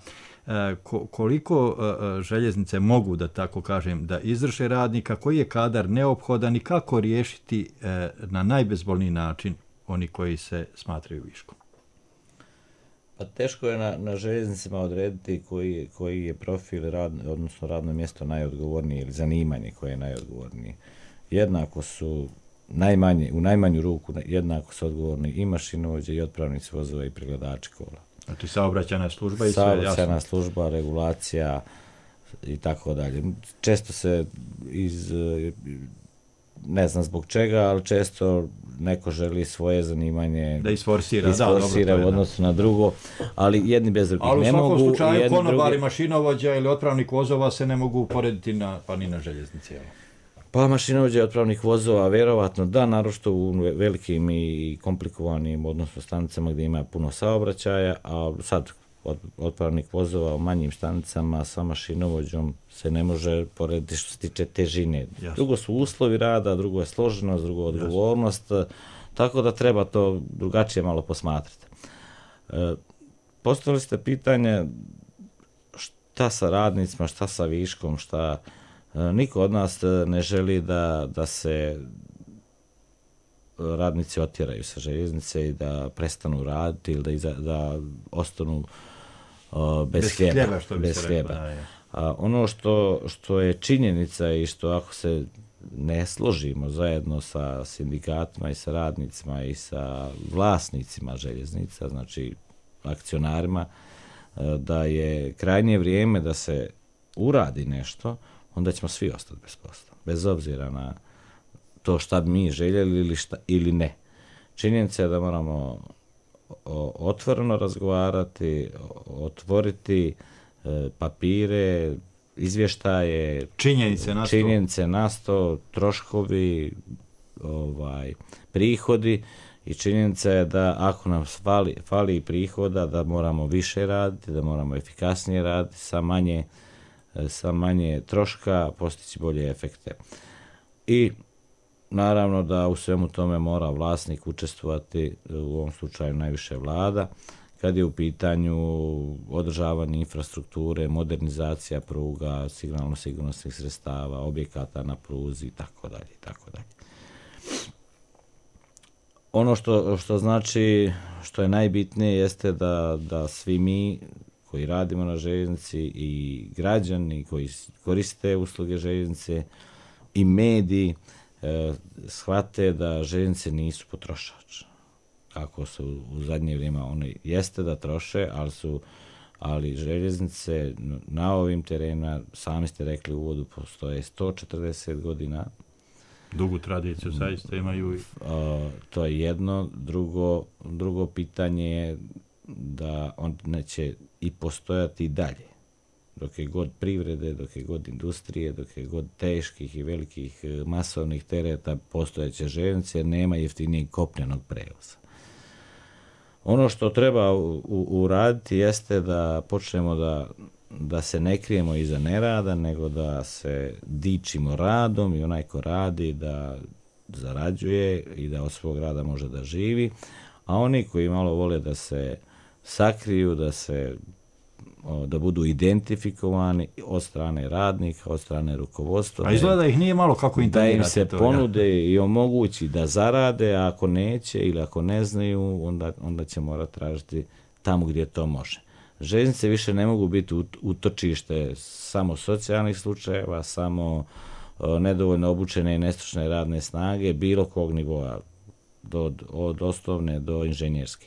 koliko željeznice mogu, da tako kažem, da izvrše radnika, koji je kadar neophodan i kako riješiti na najbezbolniji način oni koji se smatraju viškom? Pa teško je na, na željeznicama odrediti koji, koji je profil, rad, odnosno radno mjesto najodgovornije ili zanimanje koje je najodgovornije. Jednako su najmanje, u najmanju ruku jednako su odgovorni i mašinovođe i otpravnici vozova i pregledači kola. Znači saobraćajna služba i sve jasno. Saobraćajna služba, regulacija i tako dalje. Često se iz, ne znam zbog čega, ali često neko želi svoje zanimanje da isforsira, isforsira da, u odnosu na drugo, ali jedni bez drugih ne mogu. Ali u svakom slučaju konobari, drugi... mašinovođa ili otpravnik vozova se ne mogu uporediti na, pa ni na željeznici. Pa mašinovođa i otpravnih vozova, vjerovatno da, naročito u velikim i komplikovanim, odnosno stanicama gdje ima puno saobraćaja, a sad otpravnik vozova u manjim stanicama sa mašinovođom se ne može porediti što se tiče težine. Jasno. Drugo su uslovi rada, drugo je složenost, drugo odgovornost, jasno. Tako da treba to drugačije malo posmatrati. E, postavili ste pitanje šta sa radnicima, šta sa viškom, šta... Niko od nas ne želi da, da se radnici otjeraju sa željeznice i da prestanu raditi ili da, iza, da ostanu uh, bez, bez hljeba. hljeba, što bi bez se hljeba. Rekla, da, A, ono što, što je činjenica i što ako se ne složimo zajedno sa sindikatima i sa radnicima i sa vlasnicima željeznica, znači akcionarima, da je krajnje vrijeme da se uradi nešto, onda ćemo svi ostati bez posla, bez obzira na to šta bi mi željeli ili, šta, ili ne. Činjenica je da moramo otvoreno razgovarati, otvoriti e, papire, izvještaje, činjenice na sto, činjenice na sto, troškovi, ovaj, prihodi, i činjenica je da ako nam fali, fali prihoda, da moramo više raditi, da moramo efikasnije raditi, sa manje sa manje troška postići bolje efekte. I naravno da u svemu tome mora vlasnik učestvovati, u ovom slučaju najviše vlada, kad je u pitanju održavanje infrastrukture, modernizacija pruga, signalno-sigurnosnih sredstava, objekata na pruzi i tako dalje i tako dalje. Ono što, što znači, što je najbitnije jeste da, da svi mi koji radimo na željeznici i građani koji koriste usluge željeznice i mediji e, shvate da željeznice nisu potrošač. Kako su u zadnje vrijeme one jeste da troše, ali su ali željeznice na ovim terenima, sami ste rekli u uvodu, postoje sto četrdeset godina. Dugu tradiciju zaista imaju. A, to je jedno. Drugo, drugo pitanje je da on neće i postojati i dalje. Dok je god privrede, dok je god industrije, dok je god teških i velikih masovnih tereta postojeće željeznice, jer nema jeftinijeg kopnenog prevoza. Ono što treba u, u, uraditi jeste da počnemo da, da se ne krijemo iza nerada, nego da se dičimo radom i onaj ko radi da zarađuje i da od svog rada može da živi, a oni koji malo vole da se sakriju, da se da budu identifikovani od strane radnika, od strane rukovodstva. A izgleda da ih nije malo kako intonirati. Da im se to, ponude ja. i omogući da zarade, a ako neće ili ako ne znaju, onda, onda će morati tražiti tamo gdje to može. Željeznice više ne mogu biti utočište samo socijalnih slučajeva, samo nedovoljno obučene i nestručne radne snage, bilo kog nivoa, do, od osnovne do inženjerske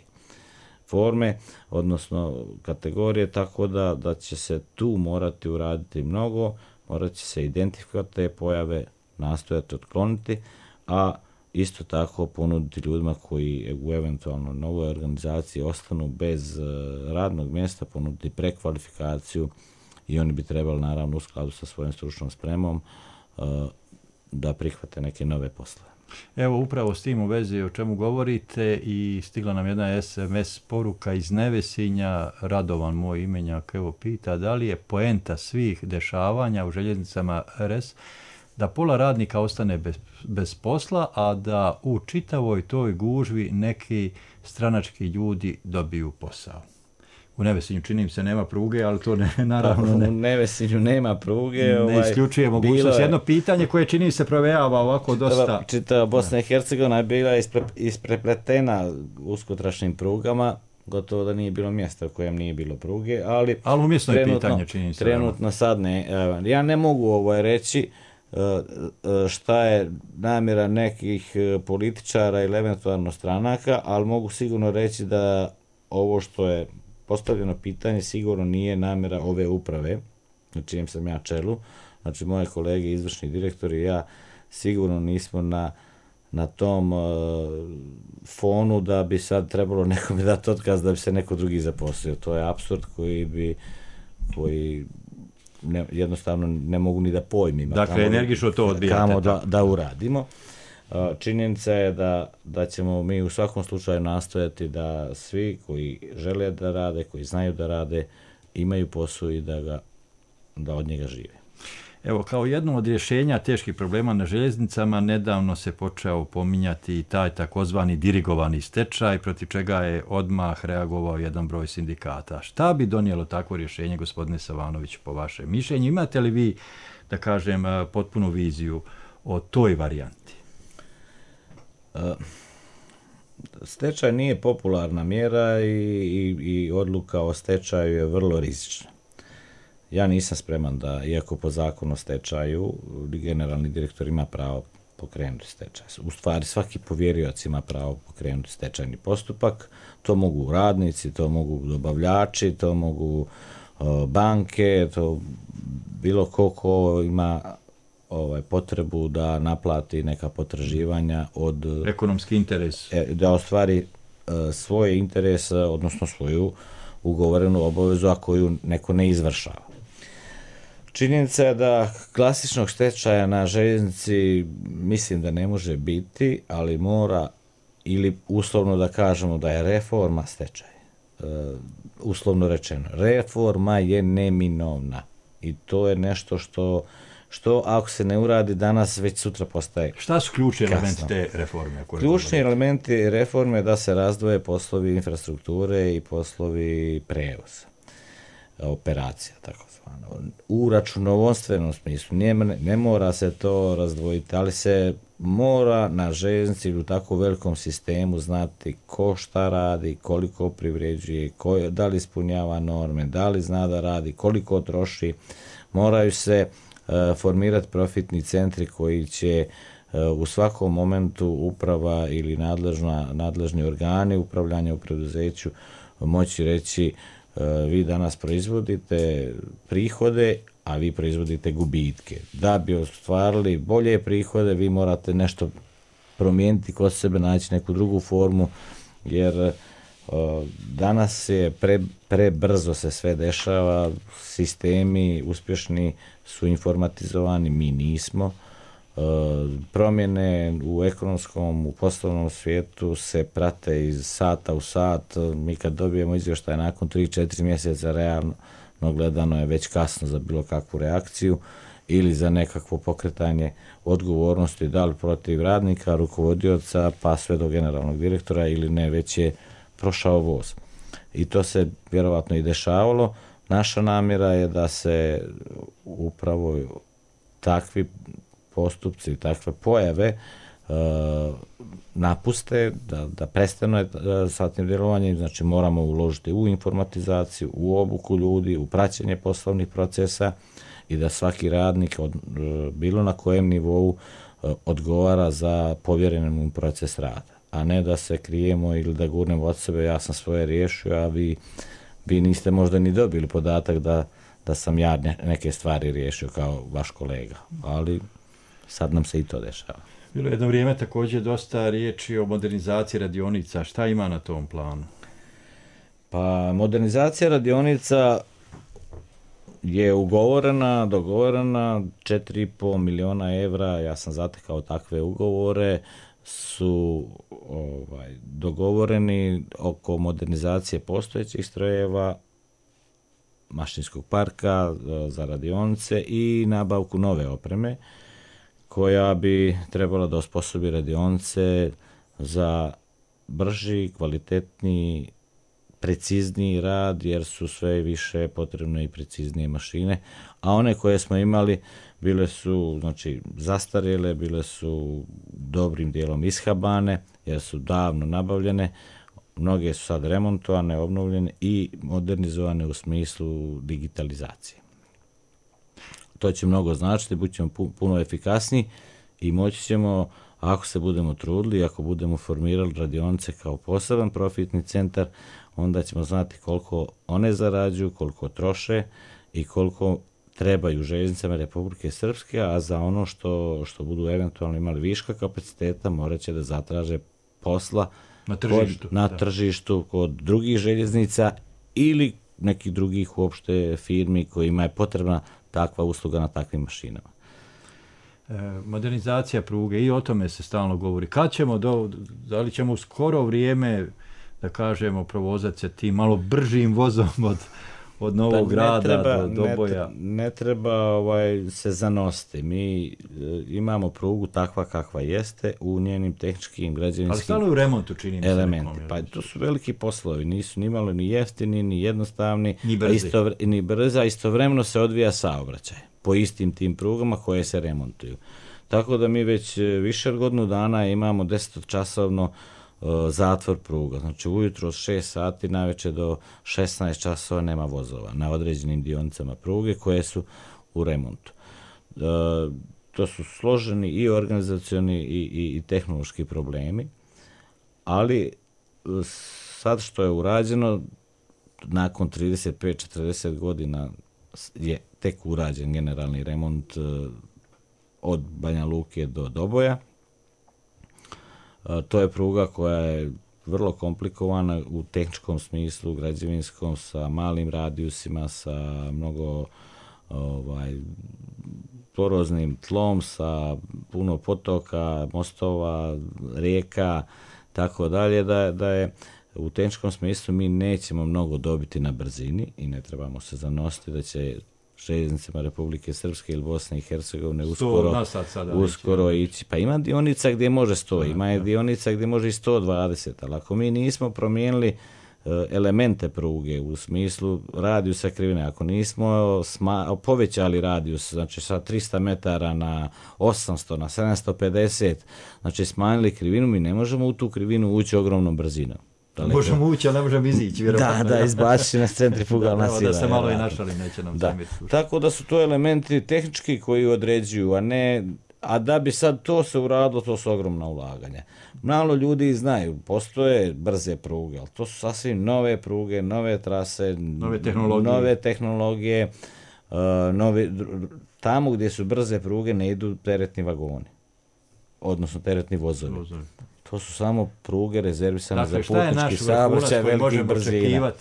forme, odnosno kategorije, tako da, da će se tu morati uraditi mnogo, morat će se identifikovati te pojave, nastojati otkloniti, a isto tako ponuditi ljudima koji u eventualno novoj organizaciji ostanu bez radnog mjesta, ponuditi prekvalifikaciju i oni bi trebali naravno u skladu sa svojom stručnom spremom da prihvate neke nove poslove. Evo, upravo s tim u vezi o čemu govorite i stigla nam jedna es em es poruka iz Nevesinja. Radovan, moj imenjak, evo pita da li je poenta svih dešavanja u željeznicama er es da pola radnika ostane bez, bez posla, a da u čitavoj toj gužvi neki stranački ljudi dobiju posao. U Nevesinju čini mi se nema pruge, ali to ne, naravno ne. U Nevesinju nema pruge. Ne ovaj, isključuje mogućnost. Je, jedno pitanje koje čini mi se provejava ovako dosta. Čitava Bosna i Hercegovina je bila ispre, isprepletena uskotrašnim prugama, gotovo da nije bilo mjesta u kojem nije bilo pruge, ali... Ali umjesno je pitanje, čini se. Trenutno sad ne. Ja ne mogu ovaj reći šta je namjera nekih političara ili eventualno stranaka, ali mogu sigurno reći da ovo što je postavljeno pitanje sigurno nije namjera ove uprave, na čijem sam ja čelu. Znači, moje kolege, izvršni direktori i ja sigurno nismo na, na tom uh, fonu da bi sad trebalo nekome dati otkaz da bi se neko drugi zaposlio. To je apsurd koji bi, koji ne, jednostavno ne mogu ni da pojmim. Dakle, energično to odbijate. Kamo da, da uradimo. Činjenica je da, da ćemo mi u svakom slučaju nastojati da svi koji žele da rade, koji znaju da rade, imaju posao i da, ga, da od njega žive. Evo, kao jedno od rješenja teških problema na željeznicama nedavno se počeo pominjati taj takozvani dirigovani stečaj, protiv čega je odmah reagovao jedan broj sindikata. Šta bi donijelo takvo rješenje, gospodine Savanović, po vašem mišljenju? Imate li vi, da kažem, potpunu viziju o toj varijanti? Stečaj nije popularna mjera i, i, i odluka o stečaju je vrlo rizična. Ja nisam spreman da, iako po zakonu o stečaju, generalni direktor ima pravo pokrenuti stečaj. U stvari, svaki povjerioc ima pravo pokrenuti stečajni postupak. To mogu radnici, to mogu dobavljači, to mogu uh, banke, to bilo ko ko ima ovaj, potrebu da naplati neka potraživanja od... Ekonomski interes. Da ostvari uh, svoje interese, odnosno svoju ugovorenu obavezu, a koju neko ne izvršava. Činjenica je da klasičnog stečaja na željeznici mislim da ne može biti, ali mora, ili uslovno da kažemo da je reforma stečaj. Uh, uslovno rečeno, reforma je neminovna i to je nešto što što ako se ne uradi danas, već sutra postaje kasno. Šta su ključni elementi te reforme? Ključni elementi reforme je da se razdvoje poslovi infrastrukture i poslovi prevoza, operacija, tako zvano. U računovodstvenom smislu ne, ne mora se to razdvojiti, ali se mora na željeznici u tako velikom sistemu znati ko šta radi, koliko privređuje, ko, da li ispunjava norme, da li zna da radi, koliko troši. Moraju se formirati profitni centri koji će u svakom momentu uprava ili nadležna, nadležni organi upravljanja u preduzeću moći reći vi danas proizvodite prihode, a vi proizvodite gubitke. Da bi ostvarili bolje prihode, vi morate nešto promijeniti kod sebe, naći neku drugu formu, jer danas je pre, prebrzo se sve dešava, sistemi uspješni su informatizovani, mi nismo. Promjene u ekonomskom, u poslovnom svijetu se prate iz sata u sat. Mi kad dobijemo izvještaj nakon tri četiri mjeseca, realno gledano je već kasno za bilo kakvu reakciju ili za nekakvo pokretanje odgovornosti, da li protiv radnika, rukovodioca, pa sve do generalnog direktora ili ne, već je prošao voz. I to se vjerovatno i dešavalo. Naša namjera je da se upravo takvi postupci, takve pojave uh, napuste, da, da prestane uh, sa tim djelovanjem. Znači moramo uložiti u informatizaciju, u obuku ljudi, u praćenje poslovnih procesa i da svaki radnik od, uh, bilo na kojem nivou uh, odgovara za povjeren mu proces rada, a ne da se krijemo ili da gurnemo od sebe, ja sam svoje riješio, a vi, vi niste možda ni dobili podatak da, da sam ja ne, neke stvari riješio kao vaš kolega, ali sad nam se i to dešava. Bilo je jedno vrijeme također dosta riječi o modernizaciji radionica. Šta ima na tom planu? Pa modernizacija radionica je ugovorena, dogovorena četiri i pol miliona evra, ja sam zatekao takve ugovore, su ovaj, dogovoreni oko modernizacije postojećih strojeva, mašinskog parka za radionice i nabavku nove opreme koja bi trebala da osposobi radionice za brži, kvalitetniji, precizniji rad, jer su sve više potrebne i preciznije mašine, a one koje smo imali bile su, znači, zastarjele, bile su dobrim dijelom ishabane, jer su davno nabavljene, mnoge su sad remontovane, obnovljene i modernizovane u smislu digitalizacije. To će mnogo značiti, bit ćemo puno efikasniji i moći ćemo, ako se budemo trudili, ako budemo formirali radionice kao poseban profitni centar, onda ćemo znati koliko one zarađuju, koliko troše i koliko trebaju željeznicama Republike Srpske, a za ono što, što budu eventualno imali viška kapaciteta, morat će da zatraže posla na tržištu, kod, na tržištu kod drugih željeznica ili nekih drugih uopšte firmi kojima je potrebna takva usluga na takvim mašinama. E, modernizacija pruge, i o tome se stalno govori. Kad ćemo, do, da li ćemo u skoro vrijeme, da kažemo, provozati se tim malo bržim vozom od, od Novog Grada do Doboja? Ne, ne treba ovaj, se zanositi. Mi e, imamo prugu takva kakva jeste u njenim tehničkim, građevinskim ali stalno u remontu, čini mi se. Elementi. Pa to su veliki poslovi. Nisu ni malo ni jeftini, ni jednostavni, ni brzi. Istovre, ni brza. Istovremeno se odvija saobraćaj po istim tim prugama koje se remontuju. Tako da mi već više od godinu dana imamo desetočasovno uh, zatvor pruga. Znači ujutro od šest sati navečer do šesnaest časova nema vozova na određenim dionicama pruge koje su u remontu. Uh, to su složeni i organizacioni i, i, i tehnološki problemi, ali sad što je urađeno, nakon trideset pet četrdeset godina je tek urađen generalni remont uh, od Banja Luke do Doboja. Uh, to je pruga koja je vrlo komplikovana u tehničkom smislu, građevinskom, sa malim radijusima, sa mnogo ovaj, poroznim tlom, sa puno potoka, mostova, rijeka, tako dalje, da, da je u tehničkom smislu mi nećemo mnogo dobiti na brzini i ne trebamo se zanositi da će željeznicama Republike Srpske ili Bosne i Hercegovine uskoro, uskoro ići. Pa ima dionica gdje može sto, ima je dionica gdje može i sto dvadeset, ali ako mi nismo promijenili uh, elemente pruge u smislu radijusa krivine, ako nismo sma, povećali radijus, znači sa trista metara na osamsto, na sedamsto pedeset, znači smanjili krivinu, mi ne možemo u tu krivinu ući ogromnom brzinom. Daleko. Možemo ući, ali ne možemo izići, vjerovatno. Da, da, izbaci nas centrifugalna sila. Da se malo i našali, neće nam zamjeriti. Tako da su to elementi tehnički koji određuju, a ne, a da bi sad to se uradilo, to su ogromna ulaganja. Malo ljudi znaju, postoje brze pruge, ali to su sasvim nove pruge, nove trase, nove tehnologije, nove tehnologije uh, nove, tamo gdje su brze pruge ne idu teretni vagoni, odnosno teretni vozovi. vozovi. To su samo pruge rezervisane dakle, za putnički saobraćaj velikih brzina.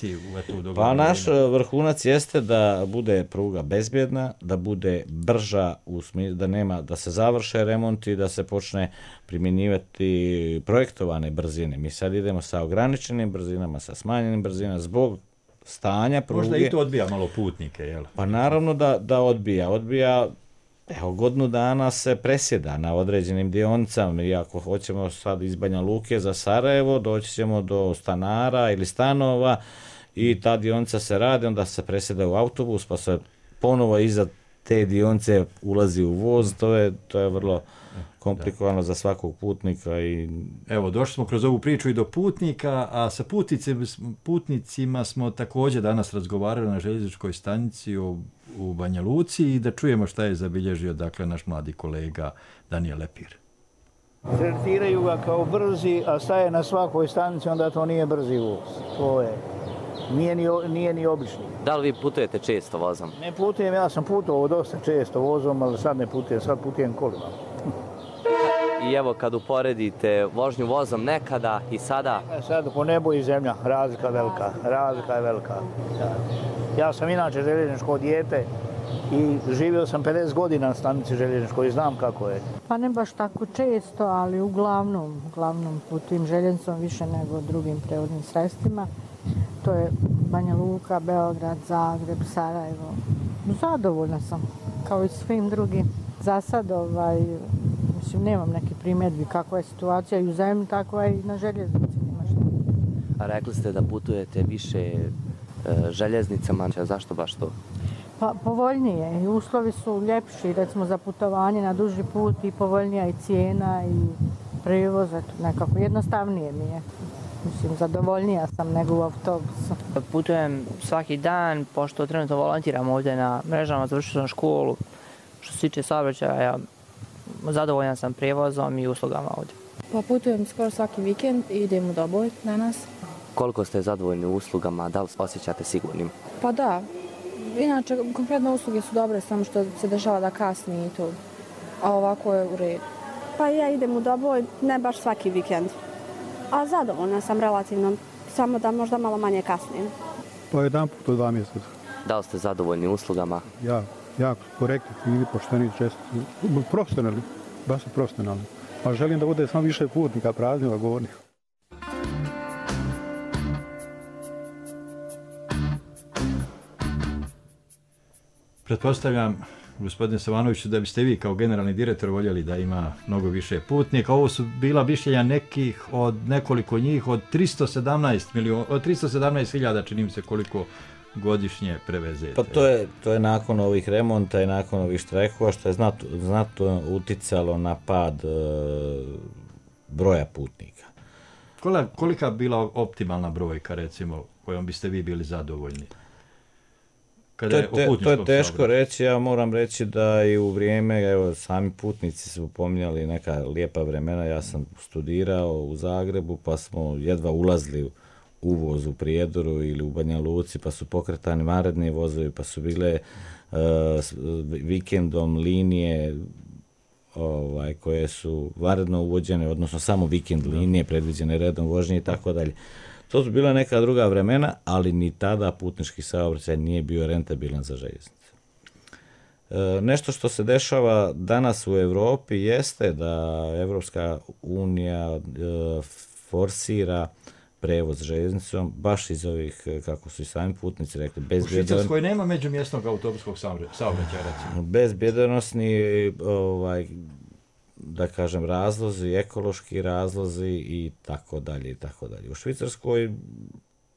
Pa naš vrhunac jeste da bude pruga bezbjedna, da bude brža, u smislu, da nema, da se završe remonti, da se počne primjenjivati projektovane brzine. Mi sad idemo sa ograničenim brzinama, sa smanjenim brzinama zbog stanja pruge. Možda i to odbija malo putnike, jel? Pa naravno da, da odbija. Odbija. Evo, godinu dana se presjeda na određenim dionicama i ako hoćemo sad iz Banja Luke za Sarajevo, doći ćemo do stanara ili stanova i ta dionica se radi, onda se presjeda u autobus, pa se ponovo iza te dionice ulazi u voz, to je, to je vrlo komplikovano da. za svakog putnika. I... Evo, došli smo kroz ovu priču i do putnika, a sa putnicima, putnicima smo također danas razgovarali na željezničkoj stanici u, u Banja Luci i da čujemo šta je zabilježio dakle, naš mladi kolega Danijel Lepir. Tretiraju ga kao brzi, a staje na svakoj stanici, onda to nije brzi voz. To je, nije ni, nije ni obični. Da li vi putujete često vozom? Ne putujem, ja sam putovao dosta često vozom, ali sad ne putujem, sad putujem kolima. I evo kad uporedite vožnju vozom nekada i sada? Sad po nebu i zemlja, razlika velika, razlika je velika. Da. Ja sam inače željezničko dijete i živio sam pedeset godina na stanici željezničkoj i znam kako je. Pa ne baš tako često, ali uglavnom, uglavnom putujem željeznicom više nego drugim prevoznim sredstvima. To je Banja Luka, Beograd, Zagreb, Sarajevo. Zadovoljna sam, kao i svim drugim. Za sad, ovaj, mislim, nemam neke primjedbi kakva je situacija i u zemlji, takva i na željeznici. A rekli ste da putujete više e, željeznicama, zašto baš to? Pa povoljnije i uslovi su ljepši, recimo za putovanje na duži put i povoljnija i cijena i prijevoz, nekako jednostavnije mi je. Mislim, zadovoljnija sam nego u autobusu. Putujem svaki dan, pošto trenutno volontiram ovdje na mrežama, završio sam školu. Što se tiče saobraćaja, zadovoljan sam prijevozom i uslugama ovdje. Pa putujem skoro svaki vikend i idem u Doboj danas. Koliko ste zadovoljni uslugama, da li osjećate sigurnim? Pa da. Inače, konkretno usluge su dobre, samo što se dešava da kasni i to. A ovako je u redu. Pa ja idem u Doboj, ne baš svaki vikend. A zadovoljna sam relativno, samo da možda malo manje kasnim. Pa jedan put u dva mjeseca. Da li ste zadovoljni uslugama? Ja, jako korektni, fini, pošteni, česti, profesionalni, baš su profesionalni. Pa želim da bude samo više putnika, praznih vagonih. Pretpostavljam, gospodine Savanoviću, da biste vi kao generalni direktor voljeli da ima mnogo više putnika. Ovo su bila mišljenja nekih od nekoliko njih, od tristo sedamnaest miliona, od tristo sedamnaest hiljada, čini mi se, koliko godišnje prevezete. Pa to je, to je nakon ovih remonta i nakon ovih štrajkova, što je znatno, znatno uticalo na pad e, broja putnika. Kolika, kolika bila optimalna brojka, recimo, kojom biste vi bili zadovoljni? To je, te, to je teško saobraćaju. reći, ja moram reći da i u vrijeme, evo, sami putnici su pominjali neka lijepa vremena, ja sam studirao u Zagrebu, pa smo jedva ulazili u uvoz u Prijedoru ili u Banja Luci, pa su pokretani naredni vozovi, pa su bile uh, vikendom linije ovaj, koje su varedno uvođene, odnosno samo vikend linije, predviđene redom vožnje i tako dalje. To su bila neka druga vremena, ali ni tada putnički saobraćaj nije bio rentabilan za željeznice. E, nešto što se dešava danas u Europi jeste da Evropska unija e, forsira prevoz željeznicom, baš iz ovih, kako su i sami putnici rekli, bezbjedan... U Švicarskoj nema međumjesnog autobuskog saobraćaja, recimo. Bezbjedanosni, ovaj, da kažem, razlozi, ekološki razlozi i tako dalje i tako dalje. U Švicarskoj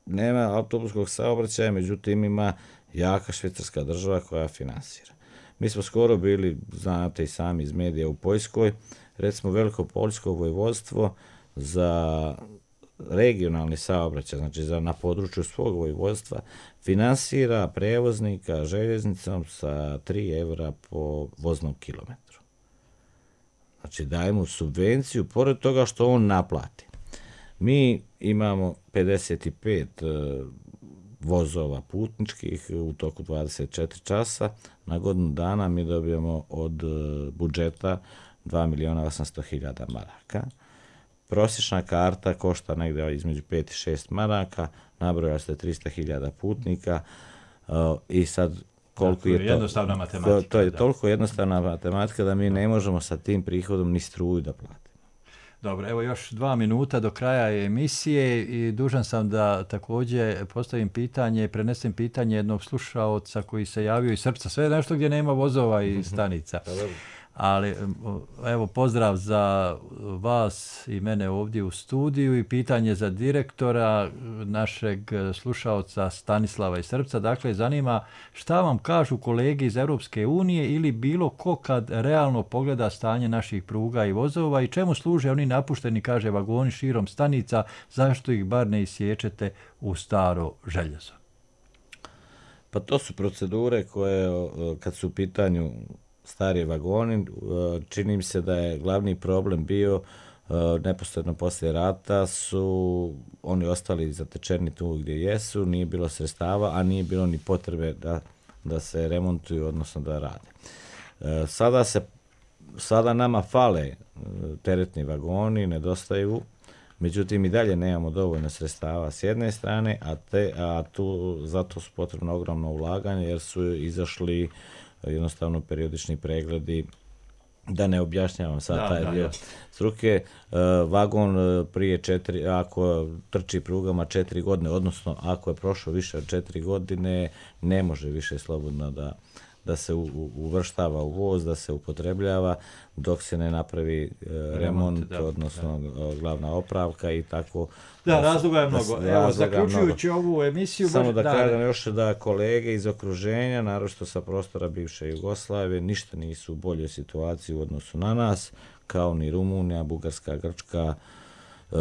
nema autobuskog saobraćaja, međutim ima jaka švicarska država koja finansira. Mi smo skoro bili, znate i sami iz medija, u Poljskoj, recimo Veliko Poljsko vojvodstvo za regionalni saobraćaj, znači za na području svog vojvodstva, finansira prevoznika željeznicom sa tri eura po voznom kilometru. Znači daje mu subvenciju, pored toga što on naplati. Mi imamo pedeset pet uh, vozova putničkih u toku dvadeset četiri časa. Na godinu dana mi dobijemo od uh, budžeta dva milijuna osamsto hiljada maraka. Prosječna karta košta negdje između pet i šest maraka, nabroja se tristo hiljada putnika uh, i sad koliko da, to je, je to, jednostavna matematika. To, to je da. toliko jednostavna matematika da mi ne možemo sa tim prihodom ni struju da platimo. Dobro, evo još dva minuta do kraja emisije i dužan sam da također postavim pitanje, prenesem pitanje jednog slušaoca koji se javio iz Srpca. Sve nešto gdje nema vozova i stanica. Ali evo pozdrav za vas i mene ovdje u studiju i pitanje za direktora našeg slušaoca Stanislava iz Srpca. Dakle, zanima šta vam kažu kolege iz Europske unije ili bilo ko kad realno pogleda stanje naših pruga i vozova i čemu služe oni napušteni, kaže, vagoni širom stanica, zašto ih bar ne isječete u staro željezo? Pa to su procedure koje kad su u pitanju stari vagoni, čini mi se da je glavni problem bio neposredno poslije rata su oni ostali zatečeni tu gdje jesu, nije bilo sredstava, a nije bilo ni potrebe da, da se remontuju, odnosno da rade. Sada, se, sada nama fale teretni vagoni, nedostaju Međutim, i dalje nemamo dovoljno sredstava s jedne strane, a, te, a tu zato su potrebno ogromno ulaganje jer su izašli jednostavno periodični pregledi, da ne objašnjavam sad da, taj da, dio ja. struke. Vagon prije četiri, ako trči prugama četiri godine, odnosno ako je prošlo više od četiri godine, ne može više slobodno da da se uvrštava u voz, da se upotrebljava dok se ne napravi e, remont, da, odnosno da. glavna opravka i tako. Da, da razloga je mnogo. Da, evo, zaključujući mnogo. Ovu emisiju... Samo da, da kažem još da kolege iz okruženja, naročito sa prostora bivše Jugoslavije, ništa nisu u boljoj situaciji u odnosu na nas, kao ni Rumunija, Bugarska, Grčka, e,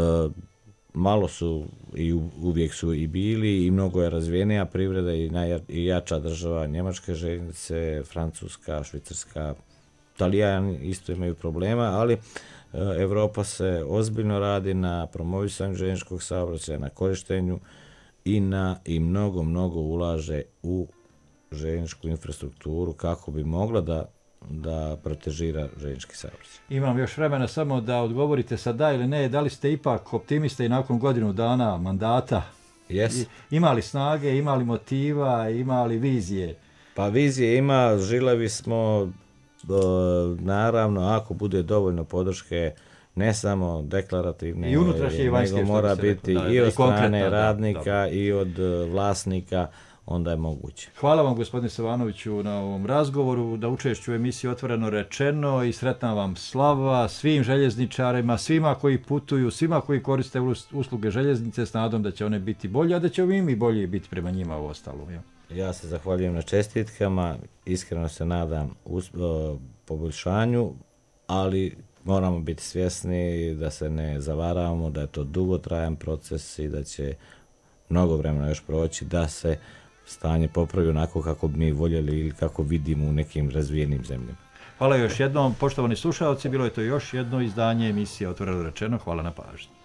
malo su i uvijek su i bili i mnogo je razvijenija privreda i, najja, i jača država, njemačke željeznice, Francuska, Švicarska, Talijani isto imaju problema, ali e, Evropa se ozbiljno radi na promovisanju željezničkog saobraćaja, na korištenju i na i mnogo, mnogo ulaže u željezničku infrastrukturu kako bi mogla da da protežira željeznički saobraćaj. Imam još vremena samo da odgovorite sa da ili ne, da li ste ipak optimista i nakon godinu dana mandata? Yes. Imali snage, imali motiva, imali vizije? Pa vizije ima, žilevi smo, naravno, ako bude dovoljno podrške, ne samo deklarativne, i unutrašnje i vanjske, nego mora biti da, i od strane radnika da, i od vlasnika, onda je moguće. Hvala vam, gospodine Savanoviću, na ovom razgovoru, da učešću u emisiji Otvoreno rečeno i sretna vam slava svim željezničarima, svima koji putuju, svima koji koriste usluge željeznice s nadom da će one biti bolje, a da će mi bolje biti prema njima u ostalo. Ja. ja se zahvaljujem na čestitkama, iskreno se nadam us, o, poboljšanju, ali moramo biti svjesni da se ne zavaravamo, da je to dugotrajan proces i da će mnogo vremena još proći da se stanje popravi onako kako bi mi voljeli ili kako vidimo u nekim razvijenim zemljama. Hvala još jednom, poštovani slušalci, bilo je to još jedno izdanje emisije Otvoreno rečeno. Hvala na pažnji.